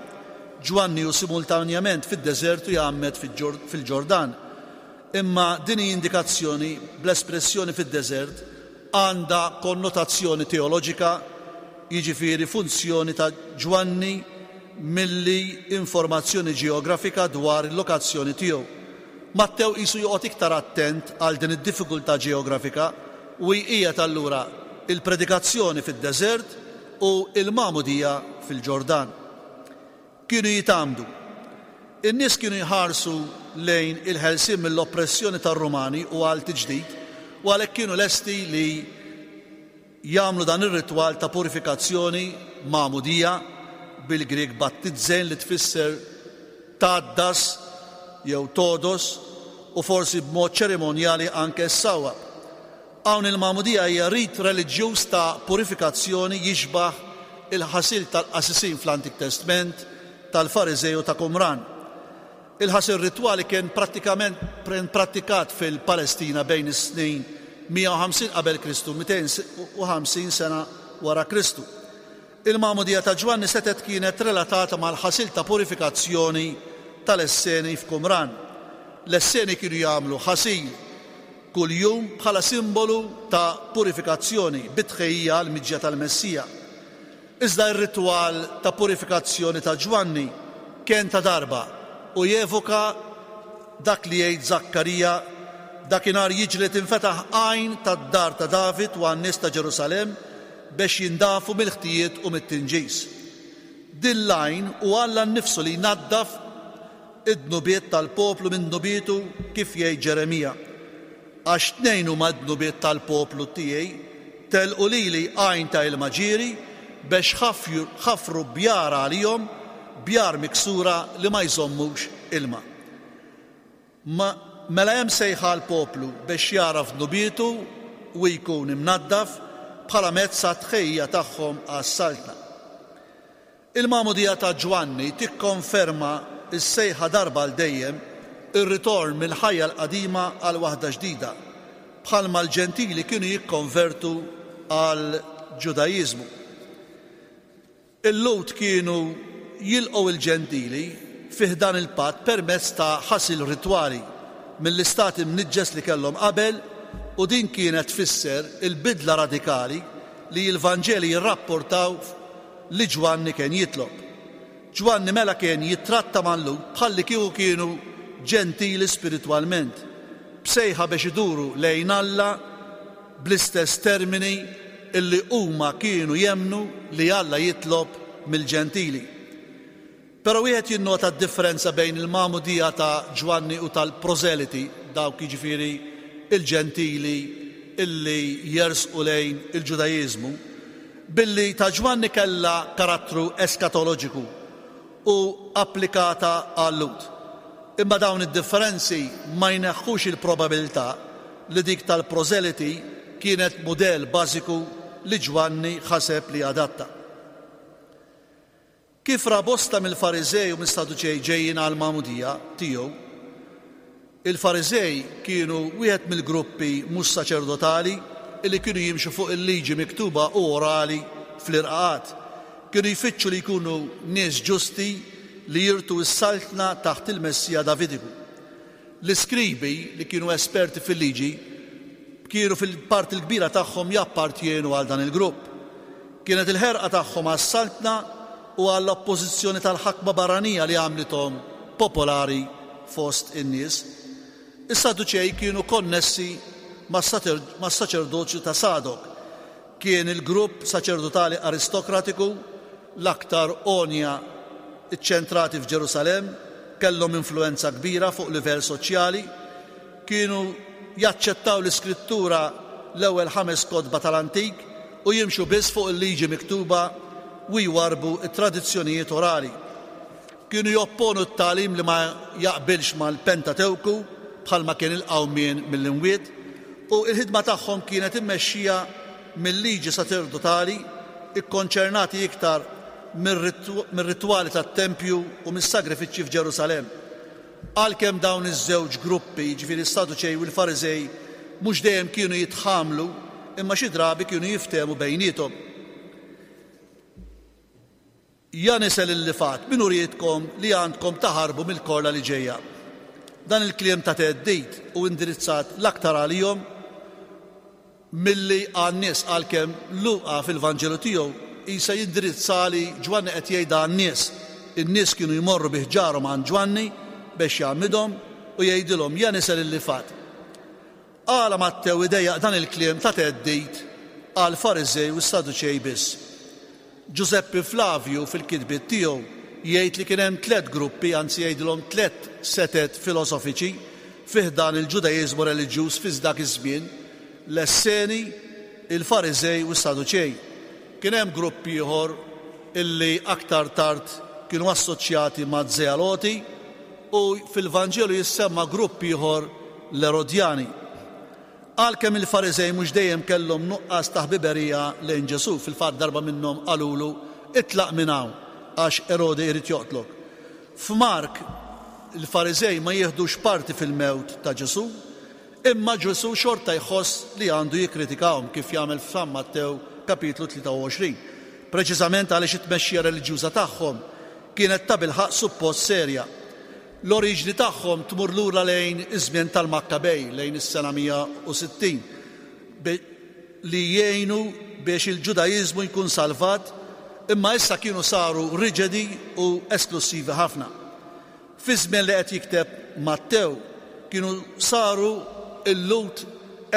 Ġwanni hu simultanjament fid-deżert u jgħammed fil-Ġordan. Imma din hi indikazzjoni bl-espressjoni fid-deżert għandha konnotazzjoni teoloġika, jiġifieri funzjoni ta' Ġwanni milli informazzjoni ġeografika dwar il-lokazzjoni tiegħu. Mattew qisu joqgħod iktar attent għal din id-diffikultà ġeografika u jqiegħed allura il-predikazzjoni fid-deżert u l-magħmudija fil-Ġordan. Kienu jitgħammdu. In-nies kienu jħarsu lejn il-ħelsien mill-oppressjoni tar-Rumani u għal tiġdid u għalhekk kienu lesti li jagħmlu dan ir-ritwal ta' purifikazzjoni, magħmudija, bil-Grieg battizzein li tfisser tgħaddas jew togħdos u forsi b'mod ċerimonjali anke ssawwab. Hawn il-magħmudija hija rit reliġjuż ta' purifikazzjoni jixbah il-ħasil tal-qassisin fl-Antik Testment, tal-Fariżej u ta' Qumran. Il-ħasil ritwali kien prattikament prattikat fil-Palestina bejn is-snin 150 qabel Kristu u 250 sena wara Kristu. Il-magħmudija ta' Ġwanni setgħet kienet relatata mal-ħasil ta' purifikazzjoni tal-Esseni f'Qumran. L-Esseni kienu jagħmlu ħasil kuljum bħala simbolu ta' purifikazzjoni bi tħejjija għall-miġja tal-Messija. Iżda r-ritwal ta' purifikazzjoni ta' Ġwanni kien ta' darba u jevoka dak li jgħid Żakkarija, Dakinhar jiġri li tinfetaħ għajn tad-dar ta' David u għan-nies ta' Ġerusalemm bex jindafu mill-ħtijiet u mit-tinġis. Din l-għajn hu Alla nnifsu li jnaddaf id-dnubiet tal-poplu minn dnubietu kif jgħid Ġeremija. Għax tnejn huma d-dnubiet tal-poplu tiegħi, telqu lili għajn ta' ilma ġieri, bex ħafru bjar għalihom, bjar miksura li ma jżommux ilma. Ma, mela hemm sejħa għall-poplu bex jagħraf dnubietu u jkun imnaddaf bħala mezz għat-tħejjija tagħhom għas-Saltna. Il-magħmudija ta' Ġwanni tikkonferma s-sejħa darba għal dejjem, ir-ritorn mill-ħajja l-qadima għal waħda ġdida, bħalma l-Ġentili kienu jikkonvertu għall-Ġudaiżmu. Il-Lhud kienu jilqgħu l-Ġentili fi ħdan il-patt permezz ta' ħasil ritwali mill-istat imniġġes li kellhom qabel u din kienet tfisser il-bidla radikali li l-Vanġeli jirrapportaw li Ġwanni kien jitlob. Ġwanni mela kien jittratta mal-Lhud bħallikieku kienu Ġentili spiritwalment, b'sejħa biex iduru lejn Alla bl-istess termini illi huma kienu jemmnu li Alla jitlob mill-Ġentili. Però wieħed jinnota d-differenza bejn il-magħmudija ta' Ġwanni u tal-prożeliti, dawk jiġifieri l-Ġentili illi jersqu lejn il-Ġudaiżmu, billi ta' Ġwanni kellha karattru eskatoloġiku u applikata għal-Lhud. Imma dawn id-differenzi ma jneħħux il-probabilità li dik tal-prożeliti kienet mudell bażiku li Ġwanni ħaseb li adatta. Kif ra bosta mill-Fariżej u mis-Saduċej ġejjin għall-magħmudija tiegħu, Il-Fariżej kienu wieħed mill-gruppi mhux saċerdotali li kienu jimxu fuq il-liġi miktuba u orali fl-irqaqat. Kienu jfittxu li jkunu nies ġusti li jirtu s-saltna taħt il-Messija Davidiku. L-iskribi, li kienu esperti fil-liġi, kienu fil-parti l-kbira tagħhom jappartjenu għal dan il-grupp. Kienet il-ħerqa tagħhom għas-saltna u għall-oppożizzjoni tal-ħakma barranija li għamlithom popolari fost in-nies. Is-Sadduċej kienu konnessi mas-saċerdozju ta' Sadok. Kien il-grupp saċerdotali aristokratiku l-aktar għonja ċċentrati f'Ġerusalemm, kellhom influwenza kbira fuq livell soċjali, kienu jaċċettaw l-Iskrittura l-ewwel ħames kotba tal-Antik u jimxu biss fuq il-liġi miktuba u jwarrbu t-tradizzjonijiet orali. Kienu jopponu t-tagħlim li ma jaqbilx mal-Pentatewku, bħalma kien il-qawmien mill-imwiet, u l-ħidma tagħhom kienet immexxija mil-liġi saċerdotali, ikkonċernati iktar mir-ritwali tat-tempju u mis-sagrifiċċji f'Ġerusalemm. Għalkemm dawn iż-żewġ gruppi, jiġifieri s-Saduċej u l-Fariżej, mhux dejjem kienu jitħamlu, imma xi drabi kienu jiftehmu bejniethom. Ja nisel il-lifgħat, min urietkom li għandkom taħarbu mill-korla li ġejja? Dan il-kliem ta' theddid hu indirizzat l-aktar għalihom milli għan-nies għalkemm Luqa fil-Vanġelu tiegħu qisha jindirizza li Ġwanni qed jgħidha għan-nies. In-nies kienu jmorru bi ħġarhom għand Ġwanni bex jgħammidhom u jgħidilhom, Ja nisel il-lifgħat. Għala Mattew idejjaq dan il-kliem ta' theddid għall-Fariżej u s-Saduċej biss? Ġużeppi Flavju fil-kitbiet tiegħu jgħid li kien hemm tlett gruppi, anzi jgħidilhom tlett setet filosofiċi fi ħdan il-Ġudaiżmu reliġjuż fi dak iż-żmien, l-Esseni, il-Fariżej u s-Saduċej. Kien hemm grupp ieħor illi aktar tard kienu assoċjati maz-Zealoti u fil-Vanġelu jissemma grupp ieħor l-Erodjani. Għalkemm il-Fariżej mhux dejjem kellhom nuqqas ta' ħbiberija lejn Ġesù, fil-fatt darba minnhom qalulu, Itlaq minn hawn, għax Erodi jrid joqtlok. F'Mark, il-Fariżej ma jieħdux parti fil-mewt ta' Ġesù, imma Ġesù xorta jħoss li għandu jikkritikahom, kif jagħmel f'San Mattew kapitlu 23, preċiżament għaliex it-tmexxija reliġjuża tagħhom kienet tabilħaqq suppost serja. L-oriġni tagħhom tmur lura lejn iż-żmien tal-Makkabej, lejn is-sena 160, li jgħinu biex il-Ġudaiżmu jkun salvat, imma issa kienu saru riġedi u esklussivi ħafna. Fiż-żmien li qed jikteb Mattew, kienu saru l-Lhud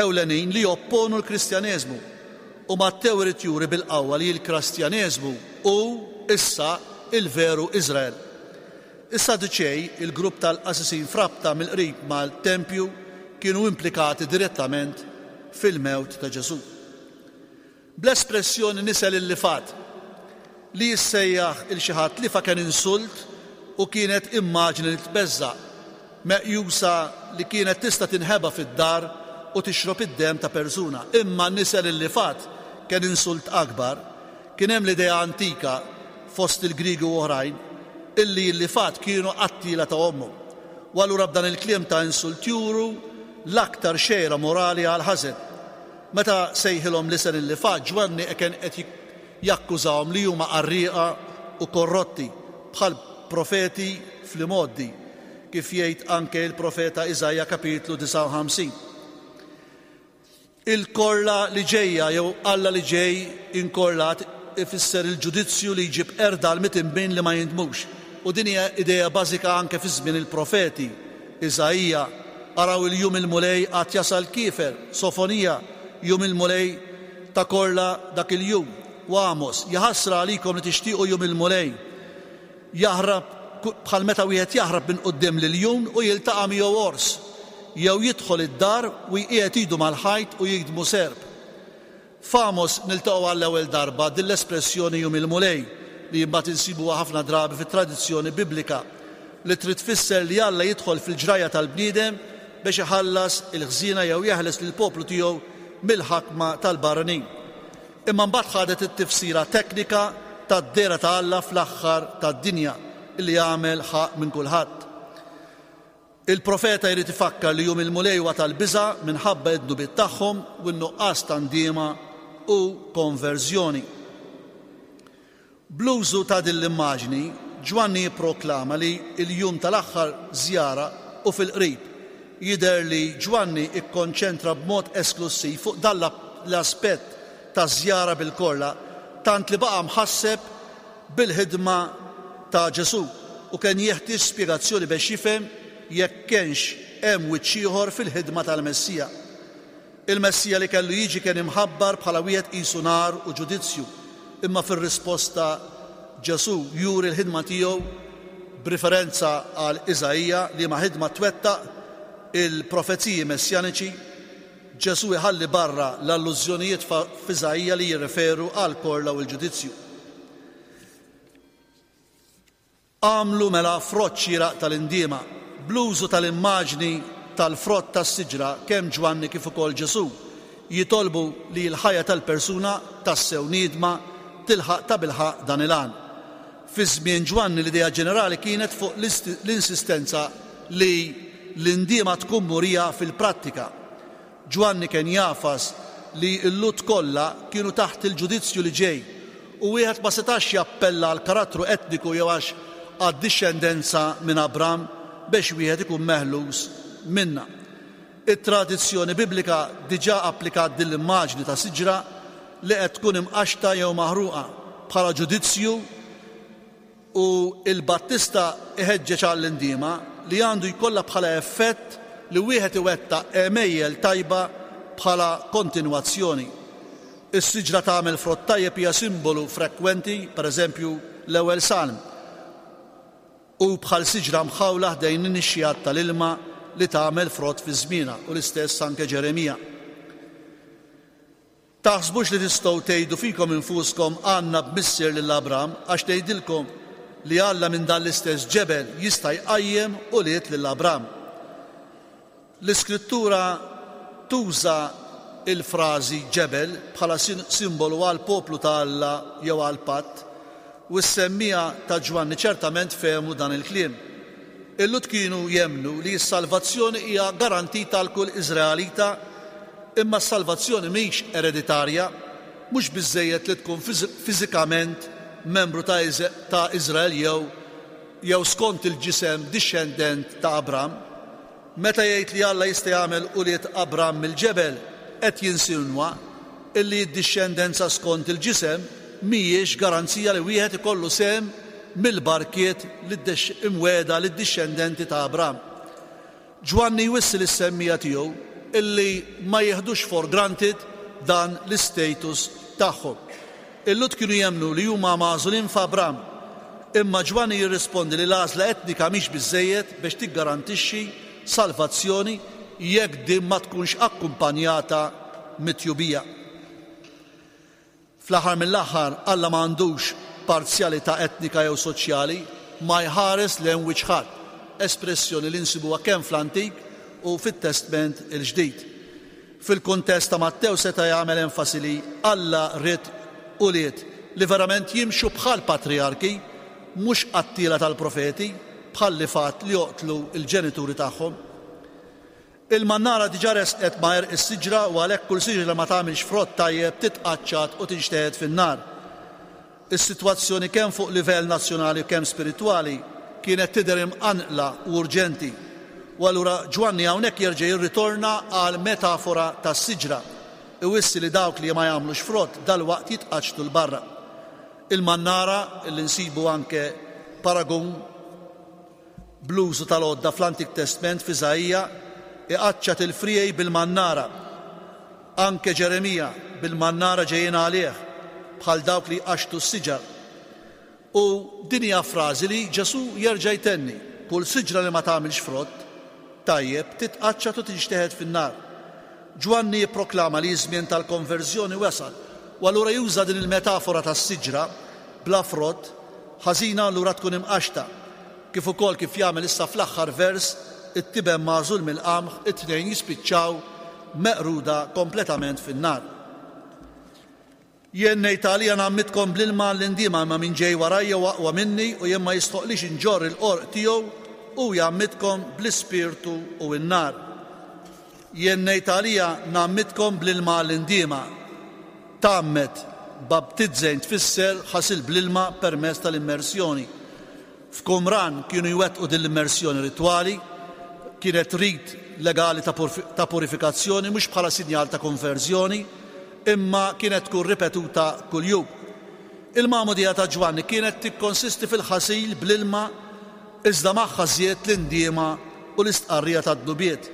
ewlenin li jopponu l-Kristjaneżmu, u Mattew irid juri bil-qawwa li l-Krastjaneżmu hu issa l-veru Iżrael. Is-Saduċej, il-grupp tal-qassisin f'rabta mill-qrib mal-tempju, kienu implikati direttament fil-mewt ta' Ġesù. Bl-espressjoni nisel il-lifgħat, li jissejjaħ 'il xi ħadd lifgħa kien insult u kienet immaġni li tbeżża', meqjusa li kienet tista' tinħeba fid-dar u tixrob id-demm ta' persuna. Imma nisel il-lifgħat kien insult akbar. Kien hemm l-idea antika, fost il-Griegi u oħrajn, illi l-lifgħat kienu qattiela ta' ommhom. U allura b'dan il-kliem ta' insult juru l-aktar xejra morali għall-ħażen. Meta sejħilhom l-isem il-lifgħat, Ġwanni kien qed jakkużahom li huma qarrieqa u korrotti, bħal profeti fl-imgħoddi, kif jgħid anke l-profeta Iżaija kapitlu 59. Il-korla li ġejja jew Alla li ġej inkorlat ifisser il-ġudizzju li jġib qerda għal mitinbin li ma jindmux. U din hija idea bażika anke fi żmien il-profeti. Iżaija, Araw il-jum il-Mulej għad jasal kiefer, Sofonija, Jum il-Mulej ta' korla dak il-jum, u Għamos, Jaħasra għalikom li tixtiequ jum il-Mulej. Jaħrab bħal meta wieħed jaħrab minn quddiem l-iljun u jiltaqa' miegħu ors, jew jidħol id-dar u jqiegħed idu mal-ħajt u jigdmu serp. F'Għamos niltaqgħu għall-ewwel darba din l-espressjoni jum il-Mulej, li imbagħad insibuha ħafna drabi fit-tradizzjoni Biblika, li trid tfisser li Alla jidħol fil-ġrajja tal-bniedem biex iħallas il-ħżiena jew jeħles lill-poplu tiegħu mill-ħakma tal-barranin. Imma mbagħad ħadet it-tifsira teknika tad-dehra ta' Alla fl-aħħar tad-dinja li jagħmel ħaqq minn kulħadd. Il-profeta jrid ifakkar li jum il-Mulej huwa tal-biża' minħabba d-dnubiet tagħhom u n-nuqqas ta' ndiema u konverżjoni. Bl-użu ta' din l-immaġni, Ġwanni jipproklama li l-jum tal-aħħar żjara hu fil-qrib. Jidher li Ġwanni kkonċentra b'mod esklussiv fuq dan l-aspett taż-żjara bil-korla tant li baqa' mħasseb bil-ħidma ta' Ġesù u kien jeħtieġ spjegazzjoni bex jifhem jekk kienx hemm wiċċ ieħor fil-ħidma tal-Messija. Il-Messija li kellu jiġi kien imħabbar bħala wieħed qisu nar u ġudizzju, imma fir-risposta Ġesù juri l-ħidma tiegħu b'riferenza għal Iżaija, liema ħidma twettaq il-profeziji messjaniċi. Ġesù jħalli barra l-allużjonijiet f'Iżaija li jirreferu għall-korla u l-ġudizzju. Agħmlu mela frott xieraq tal-indiema. Bl-użu tal-immaġni tal-frott tas-siġra, kemm Ġwanni kif ukoll Ġesù jitolbu li l-ħajja tal-persuna tassew niedma tilħaq tabilħaqq dan il-għan. Fi żmien Ġwanni l-idea ġenerali kienet fuq l-insistenza li l-indiema tkun murija fil-prattika. Ġwanni kien jagħfas li l-Lhud kollha kienu taħt il-ġudizzju li ġej u wieħed ma setax jappella għall-karattru etniku jew għax għad-dixxendenza minn Abram bex wieħed ikun meħlus minnha. It-tradizzjoni Biblika diġà applikat din l-immaġni ta' siġra li qed tkun imqaxxta jew maħruqa bħala ġudizzju U l-Battista iħeġġeġ għall-indiema li għandu jkollha bħala effett li wieħed iwettaq għemejjel tajba bħala kontinwazzjoni. Is-siġra tagħmel frott tajjeb hija simbolu frekwenti, per eżempju, l-ewwel Salm. Hu bħal siġra mħawla ħdejn in-nixxigħat tal-ilma li tagħmel frott fi żmienha, u l-istess anke Ġeremija. Taħsbux li tistgħu tgħidu fikom infuskom, 'Għandna b'missier lil Abram', għax ngħidilkom li Alla minn dan l-istess ġebel jista' jqajjem ulied lil Abram. L-Iskrittura tuża l-frażi ġebel bħala simbolu għall-poplu ta' Alla jew għall-patt, u s-semmiegħa ta' Ġwanni ċertament fehmu dan il-kliem. Il-Lhud kienu jemmnu li s-salvazzjoni hija garantita għal kull Iżraelita Imma s-salvazzjoni mhix ereditarja, mhux biżżejjed li tkun fiżikament membru ta' Iżrael jew jew skont il-ġisem dixxendent ta' Abram. Meta jgħid li Alla jista' jagħmel ulied Abram mill-ġebel, qed jinsinwa illi d-dixxendenza skont il-ġisem mhijiex garanzija li wieħed ikollu sehem mill-barkiet imwiegħda lid-dixxendenti ta' Abram. Ġwanni jwissi lis-semmiegħa tiegħu illi ma jieħdux for granted dan l-istatus tagħhom. Il-Lhud kienu jemmnu li huma magħżulin f'Abram. Imma Ġwanni jirrispondi li l-għażla etnika mhix biżżejjed biex tiggarantixxi salvazzjoni jekk din ma tkunx akkumpanjata mit-tjubija. Fl-aħħar mill-aħħar, Alla ma għandux parzjalità etnika jew soċjali, ma jħares lejn wiċċ ħadd, espressjoni li nsibuha kemm fl-Antik u fit-Testment il-Ġdid. Fil-kuntest ta' Mattew seta' jagħmel enfasi li Alla ried ulied li verament jimxu bħall-patrijarki, mhux qattiela tal-profeti, bħal li fatt li joqtlu l-ġenituri tagħhom. Il-mannara diġà resqet ma' għerq is-siġra u għalhekk kull siġra li ma tagħmilx frott tajjeb titqaċċat u tinxteħet fin-nar. Is-sitwazzjoni kemm fuq livell nazzjonali u kemm spiritwali kienet tidher imqanqla u urġenti. U allura Ġwanni hawnhekk jerġa' jirritorna għall-metafora tas-siġra, iwissi li dawk li ma jagħmlux frott dalwaqt jitqaċċtu 'l barra. Il-mannara, li nsibu anke paragun, Bl-użu tal-għodda fl-Antik Testment f'Iżaija, iqaċċat il-friegħi bil-mannara. Anke Ġeremija, bil-mannara ġejjin għalih, bħal dawk li jqaxxtu s-siġar. U din hija frażi li Ġesù jerġa' jtenni, Kull siġra li ma tagħmilx frott tajjeb titqaċċat u tinxteħet fin-nar. Ġwanni jipproklama li ż-żmien tal-konverżjoni wasal, u allura juża din il-metafora tas-siġra bla frott, ħażina allura tkun imqaxxta. Kif ukoll kif jagħmel issa fl-aħħar vers, it-tiben magħżul mill-qamħ, it-tnejn jispiċċaw meqruda kompletament fin-nar. Jien ngħid għalija ngħammidkom bl-ilma għall-indiema imma min ġej warajja hu aqwa minni u jien ma jistħoqqlix inġorr il-qorq tiegħu, hu jgħammidkom bl-Ispirtu u n-nar. Jien ngħid għalija ngħammidkom bl-ilma għall-indiema. Tgħammed, baptizzein tfisser ħasil bl-ilma permezz tal-immersjoni. F'Qumran kienu jwettqu din l-immersjoni ritwali, kienet rit legali ta' purifikazzjoni mhux bħala sinjal ta' konverżjoni, imma kienet tkun ripetuta kuljum. Il-magħmudija ta' Ġwanni kienet tikkonsisti fil-ħasil bl-ilma iżda magħha żied l-indiema u l-istqarrija tad-dnubiet.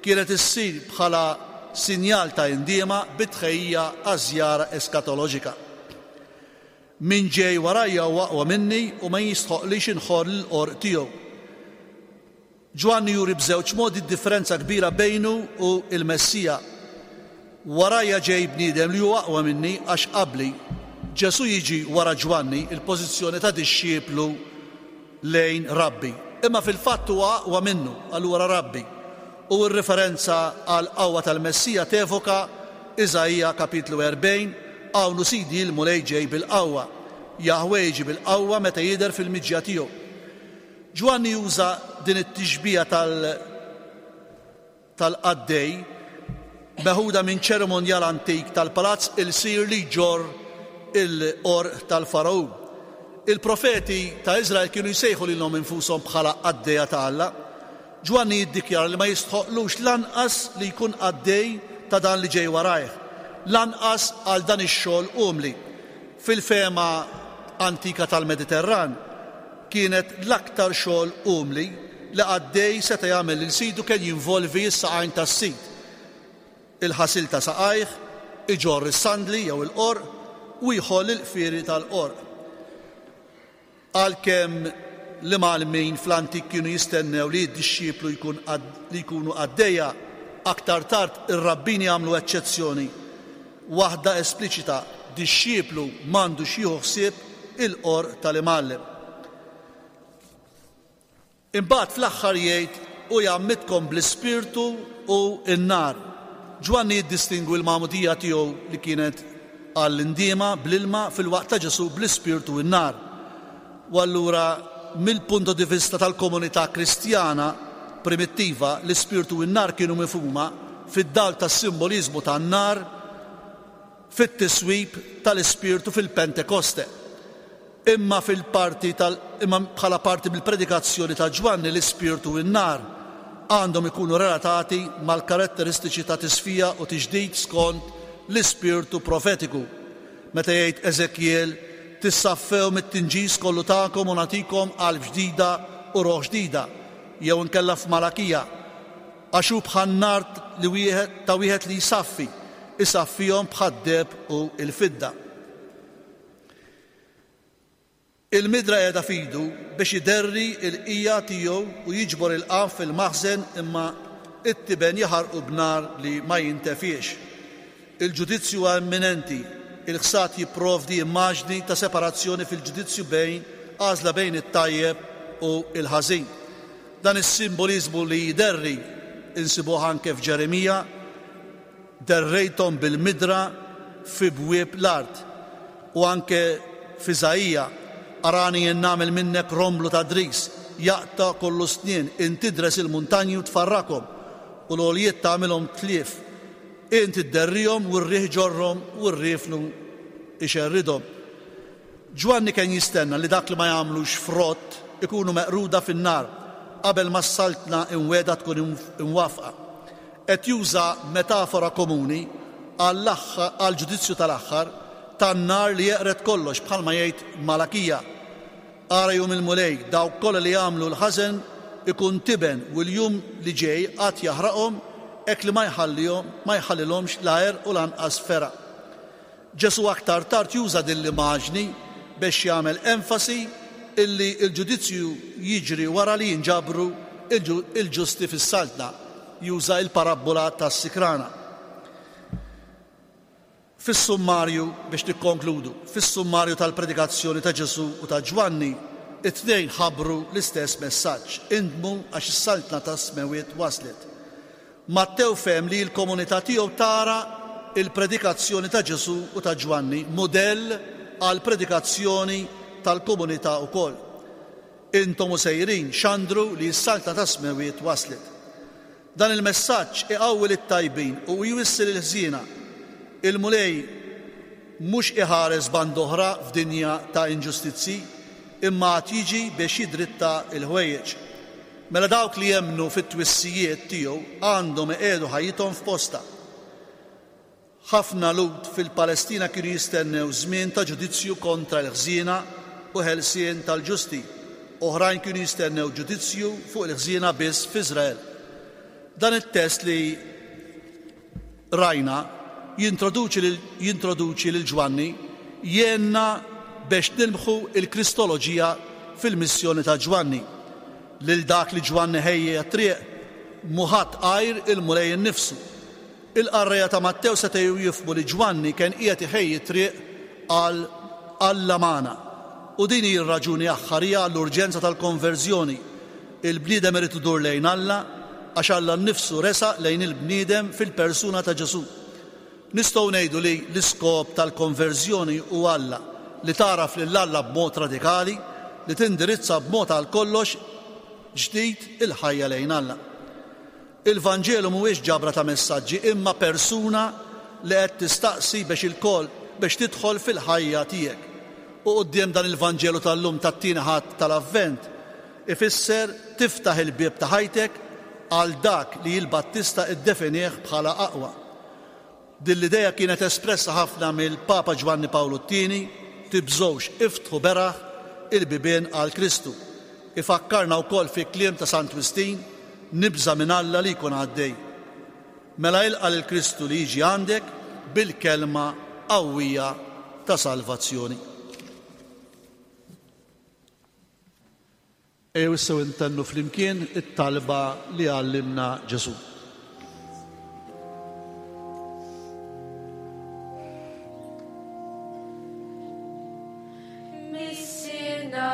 Kienet issir bħala sinjal ta' indiema bi tħejjija għaż-żjara eskatoloġika. Min ġej warajja huwa aqwa minni u ma jistħoqqlix inħorr l-qorq tiegħu. Ġwanni juri b'żewġ modi d-differenza kbira bejnu u l-Messija. Warajja ġej bniedem li hu aqwa minni għax qabli. Ġesù jiġi wara Ġwanni, il-pożizzjoni ta' dixxiplu lejn rabbi. Imma fil-fatt huwa aqwa minnu, allura rabbi. U r-riferenza għall-qawwa tal-Messija tevoka Iżaija kapitlu 40, Hawn hu Sidi l-Mulej ġej bil-qawwa. Jaħweh jiġi bil-qawwa meta jidher fil-miġja tiegħu. Ġwanni juża din it-tixbiha tal tal-qaddej meħuda minn ċerimonjal antik tal-palazz ilsir li jġorr il-qorq tal-Fargħun. Il-profeti ta' Iżrael kienu jsejħu lilhom infushom bħala qaddejja ta' Alla. Ġwanni jiddikjara li ma jistħoqqlux lanqas li jkun qaddej ta' dan li ġej warajh, lanqas għal dan ix-xogħol umli. Fil-fehma antika tal-Mediterran, kienet l-aktar xogħol umli li qaddej seta' jagħmel lil sidu kien jinvolvi s-saqajn tas-sid, il-ħasil ta' saqajh, iġorr is-sandli jew il-qorq u jħoll il-qfieri tal-qorq. Għalkemm l-imgħallmin fl-antik kienu jistennew li d-dixxiplu jkun li jkunu qaddejja, aktar tard ir-rabbini għamlu eċċezzjoni waħda espliċita, dixxiplu m'għandux jieħu ħsieb il-qorq tal-imgħallem. Imbagħad fl-aħħar jgħid, Hu jgħammidkom bl-Ispirtu u n-nar. Ġwanni jiddistingwi l-magħmudija tiegħu li kienet għall-indiema bl-ilma filwaqt ta' Ġesù bl-Ispirtu u n-nar. U allura mill-punto di vista tal-komunità Kristjana primittiva, l-Ispirtu u n-nar kienu mifhuma fid-dawl tas-simboliżmu tan-nar fit-tiswib tal-Ispirtu fil-Pentekoste. Imma fil-parti tal imma bħala parti mill-predikazzjoni ta' Ġwanni l-Ispirtu u n-nar għandhom ikunu relatati mal-karatteristiċi ta' tisfija u tiġdid skont l-ispirtu profetiku. Meta jgħid Eżekjiel, Tissaffew mit-tinġis kollu tagħkom u nagħtikom qalb ġdida u ruħ ġdida, jew inkella f'Malakija, Għax hu bħan-nar li wieħed ta' wieħed li jsaffi, isaffihom bħad-deheb u l-fidda. Il-midra qiegħda f'idu biex iderri l-qija tiegħu u jiġbor il-qamħ fil-maħżen imma t-tiben jaħarqu b'nar li ma jintefiex. Il-ġudizzju huwa imminenti. Il-ħsad jipprovdi immaġni ta' separazzjoni fil-ġudizzju bejn għażla bejn it-tajjeb u l-ħażin. Dan is-simboliżmu li jderri insibuh anke f'Ġeremija, Derrejthom bil-midra fi bwieb l-art. U anke f'Iżaija, Arani jien nagħmel minnek romblu ta' dris, jaqta' kollu snien, int tidres il-muntanji u tfarrakhom, u l-għoljiet tagħmilhom tlief. Int idderrihom u r-riħ iġorrhom u r-riefnu jxerridhom. Ġwanni kien jistenna li dak li ma jagħmlux frott ikunu meqruda fin-nar qabel ma s-Saltna imwiegħda tkun imwaffqa. Qed juża metafora komuni għall-ġudizzju tal-aħħar tan-nar li jeqred kollox bħalma jgħid Malakija, Ara jum il-Mulej, dawk kollha li jagħmlu l-ħażen ikun tiben u l-jum li ġej għad jaħraqhom hekk li ma jħallihom ma jħallilhomx la għerq u lanqas fergħa. Ġesù aktar tard juża din l-imaġni bex jagħmel enfasi illi l-ġudizzju jiġri wara li jinġabru l-ġusti fis-Saltna. Juża l-parabbola tas-sikrana. Fis-summarju, biex nikkonkludu, fis-summarju tal-predikazzjoni ta' Ġesù u ta' Ġwanni, it-tnejn ħabbru l-istess messaġġ, Indmu għax is-Saltna tas-Smewwiet waslet. Mattew fehem li l-komunità tiegħu tara l-predikazzjoni ta' Ġesù u ta' Ġwanni mudell għall-predikazzjoni tal-komunità wkoll. Intom u sejrin, xandru li s-Saltna tas-Smewwiet waslet. Dan il-messaġġ iqawwi lit-tajbin u jwissi lill-ħżiena. Il-Mulej mhux iħares band'oħra f'dinja ta' inġustizzji, imma għad jiġi biex jiddritta l-ħwejjeġ. Mela dawk li jemmnu fit-twissijiet tiegħu għandhom iqiegħdu ħajjithom f'postha. Ħafna Lhud fil-Palestina kienu jistennew żmien ta' ġudizzju kontra l-ħżiena u ħelsien tal-ġusti. Oħrajn kienu jistennew ġudizzju fuq il-ħżiena biss f'Iżrael. Dan it-test li rajna jintroduċi lil jintroduċi lil Ġwanni jgħinna bex nilmħu l-Kristoloġija fil-missjoni ta' Ġwanni. Lil dak li Ġwanni ħejja t-triq mhu ħadd għajr il-Mulej innifsu. Il-qarrejja ta' Mattew setgħu jifhmu li Ġwanni kien qiegħed iħejji t-triq għal Alla magħna. U din hi r-raġuni aħħarija għall-urġenza tal-konverżjoni. Il-bniedem irid idur lejn Alla għax Alla nnifsu resaq lejn il-bniedem fil-persuna ta' Ġesù. Nistgħu ngħidu li l-iskop tal-konverżjoni hu Alla, li tagħraf lil Alla b'mod radikali, li tindirizza b'mod għal kollox. ġdid il-ħajja lejn Alla. Il-Vanġelu mhuwiex ġabra ta' messaġġi imma persuna li qed tistaqsi biex ilkoll biex tidħol fil-ħajja tiegħek. U quddiem dan il-Vanġelu tal-lum tat-tieni Ħadd tal-Avvent ifisser tiftaħ il-bieb ta' ħajtek għal dak li l-Battista iddefinieh bħala aqwa. Din l-idea kienet espressa ħafna mill-Papa Ġwanni Pawlu t-Tieni, Tibżgħux, iftħu beraħ il-bibien għal Kristu. Ifakkarna wkoll fi kliem ta' Sant Wistin, Nibża' minn Alla li jkun għaddej. Mela ilqa' lil Kristu li jiġi għandek bil-kelma qawwija ta' salvazzjoni. Ejjew issa u ntennu flimkien it-talba li għallimna Ġesù. Missierna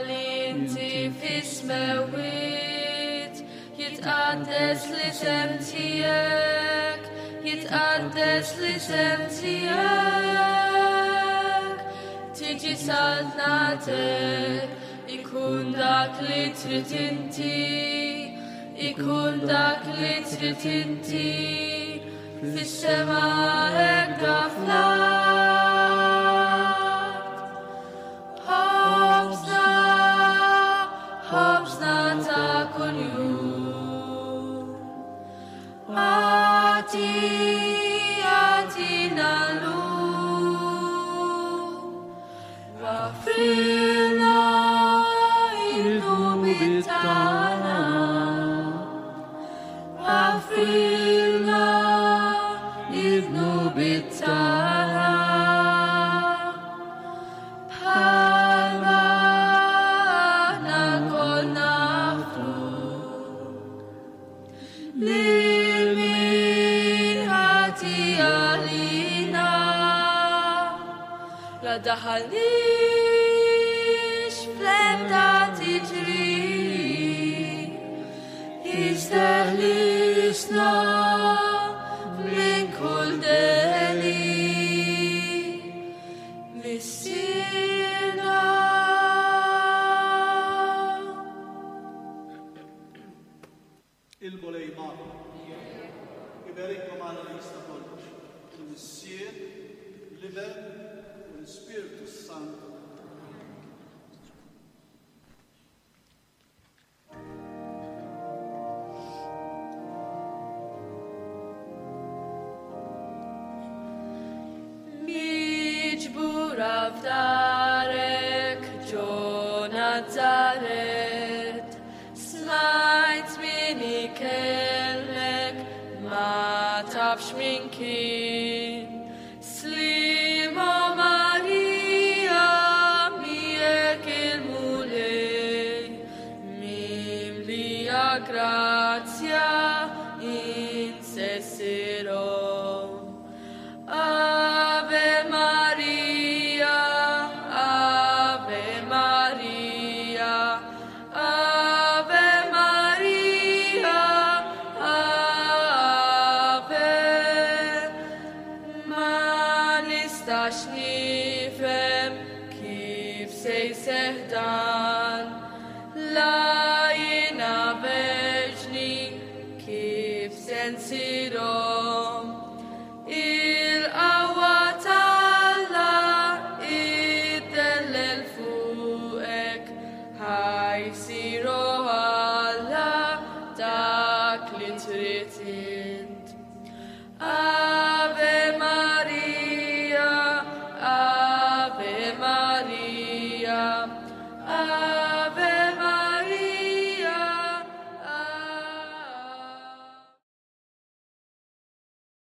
li inti fis-smewwiet, jitqaddes l-isem tiegħek, jitqaddes l-isem tiegħek. Tiġi saltnatek, ikun dak li trid inti, ikun dak li trid inti, fis-sema hekk fl-art. Ħobżna, ħobżna ta' kuljum. Agħti, agħtina llum. Waħfrilna id-dnubiet tagħna. Waħfrilna id-dnubiet tagħna. Bħalma aħna lkoll naħfru lil min ħati għalina. La daħalniex fl-ebda tiġrib, iżda ħlisna minn kull deni. Missierna. Il-Mulej magħkom. Iberikkom Alla li jista' kollox, il-Missier, l-Iben u l-Ispirtu s-Santu. Miġbura f'darek ġo Nazaret, smajt min ikellmek ma tafx min kien. Slima Marija miegħek il-Mulej, mimlija grazzja insessirhom. Ave Maria, Ave Maria, Ave Maria, Ave. Ma nistax nifhem kif se jseħħ dan, la jiena verġni kif se nsirhom. Il-qawwa t'Alla iddellel fuqek, ħa jsir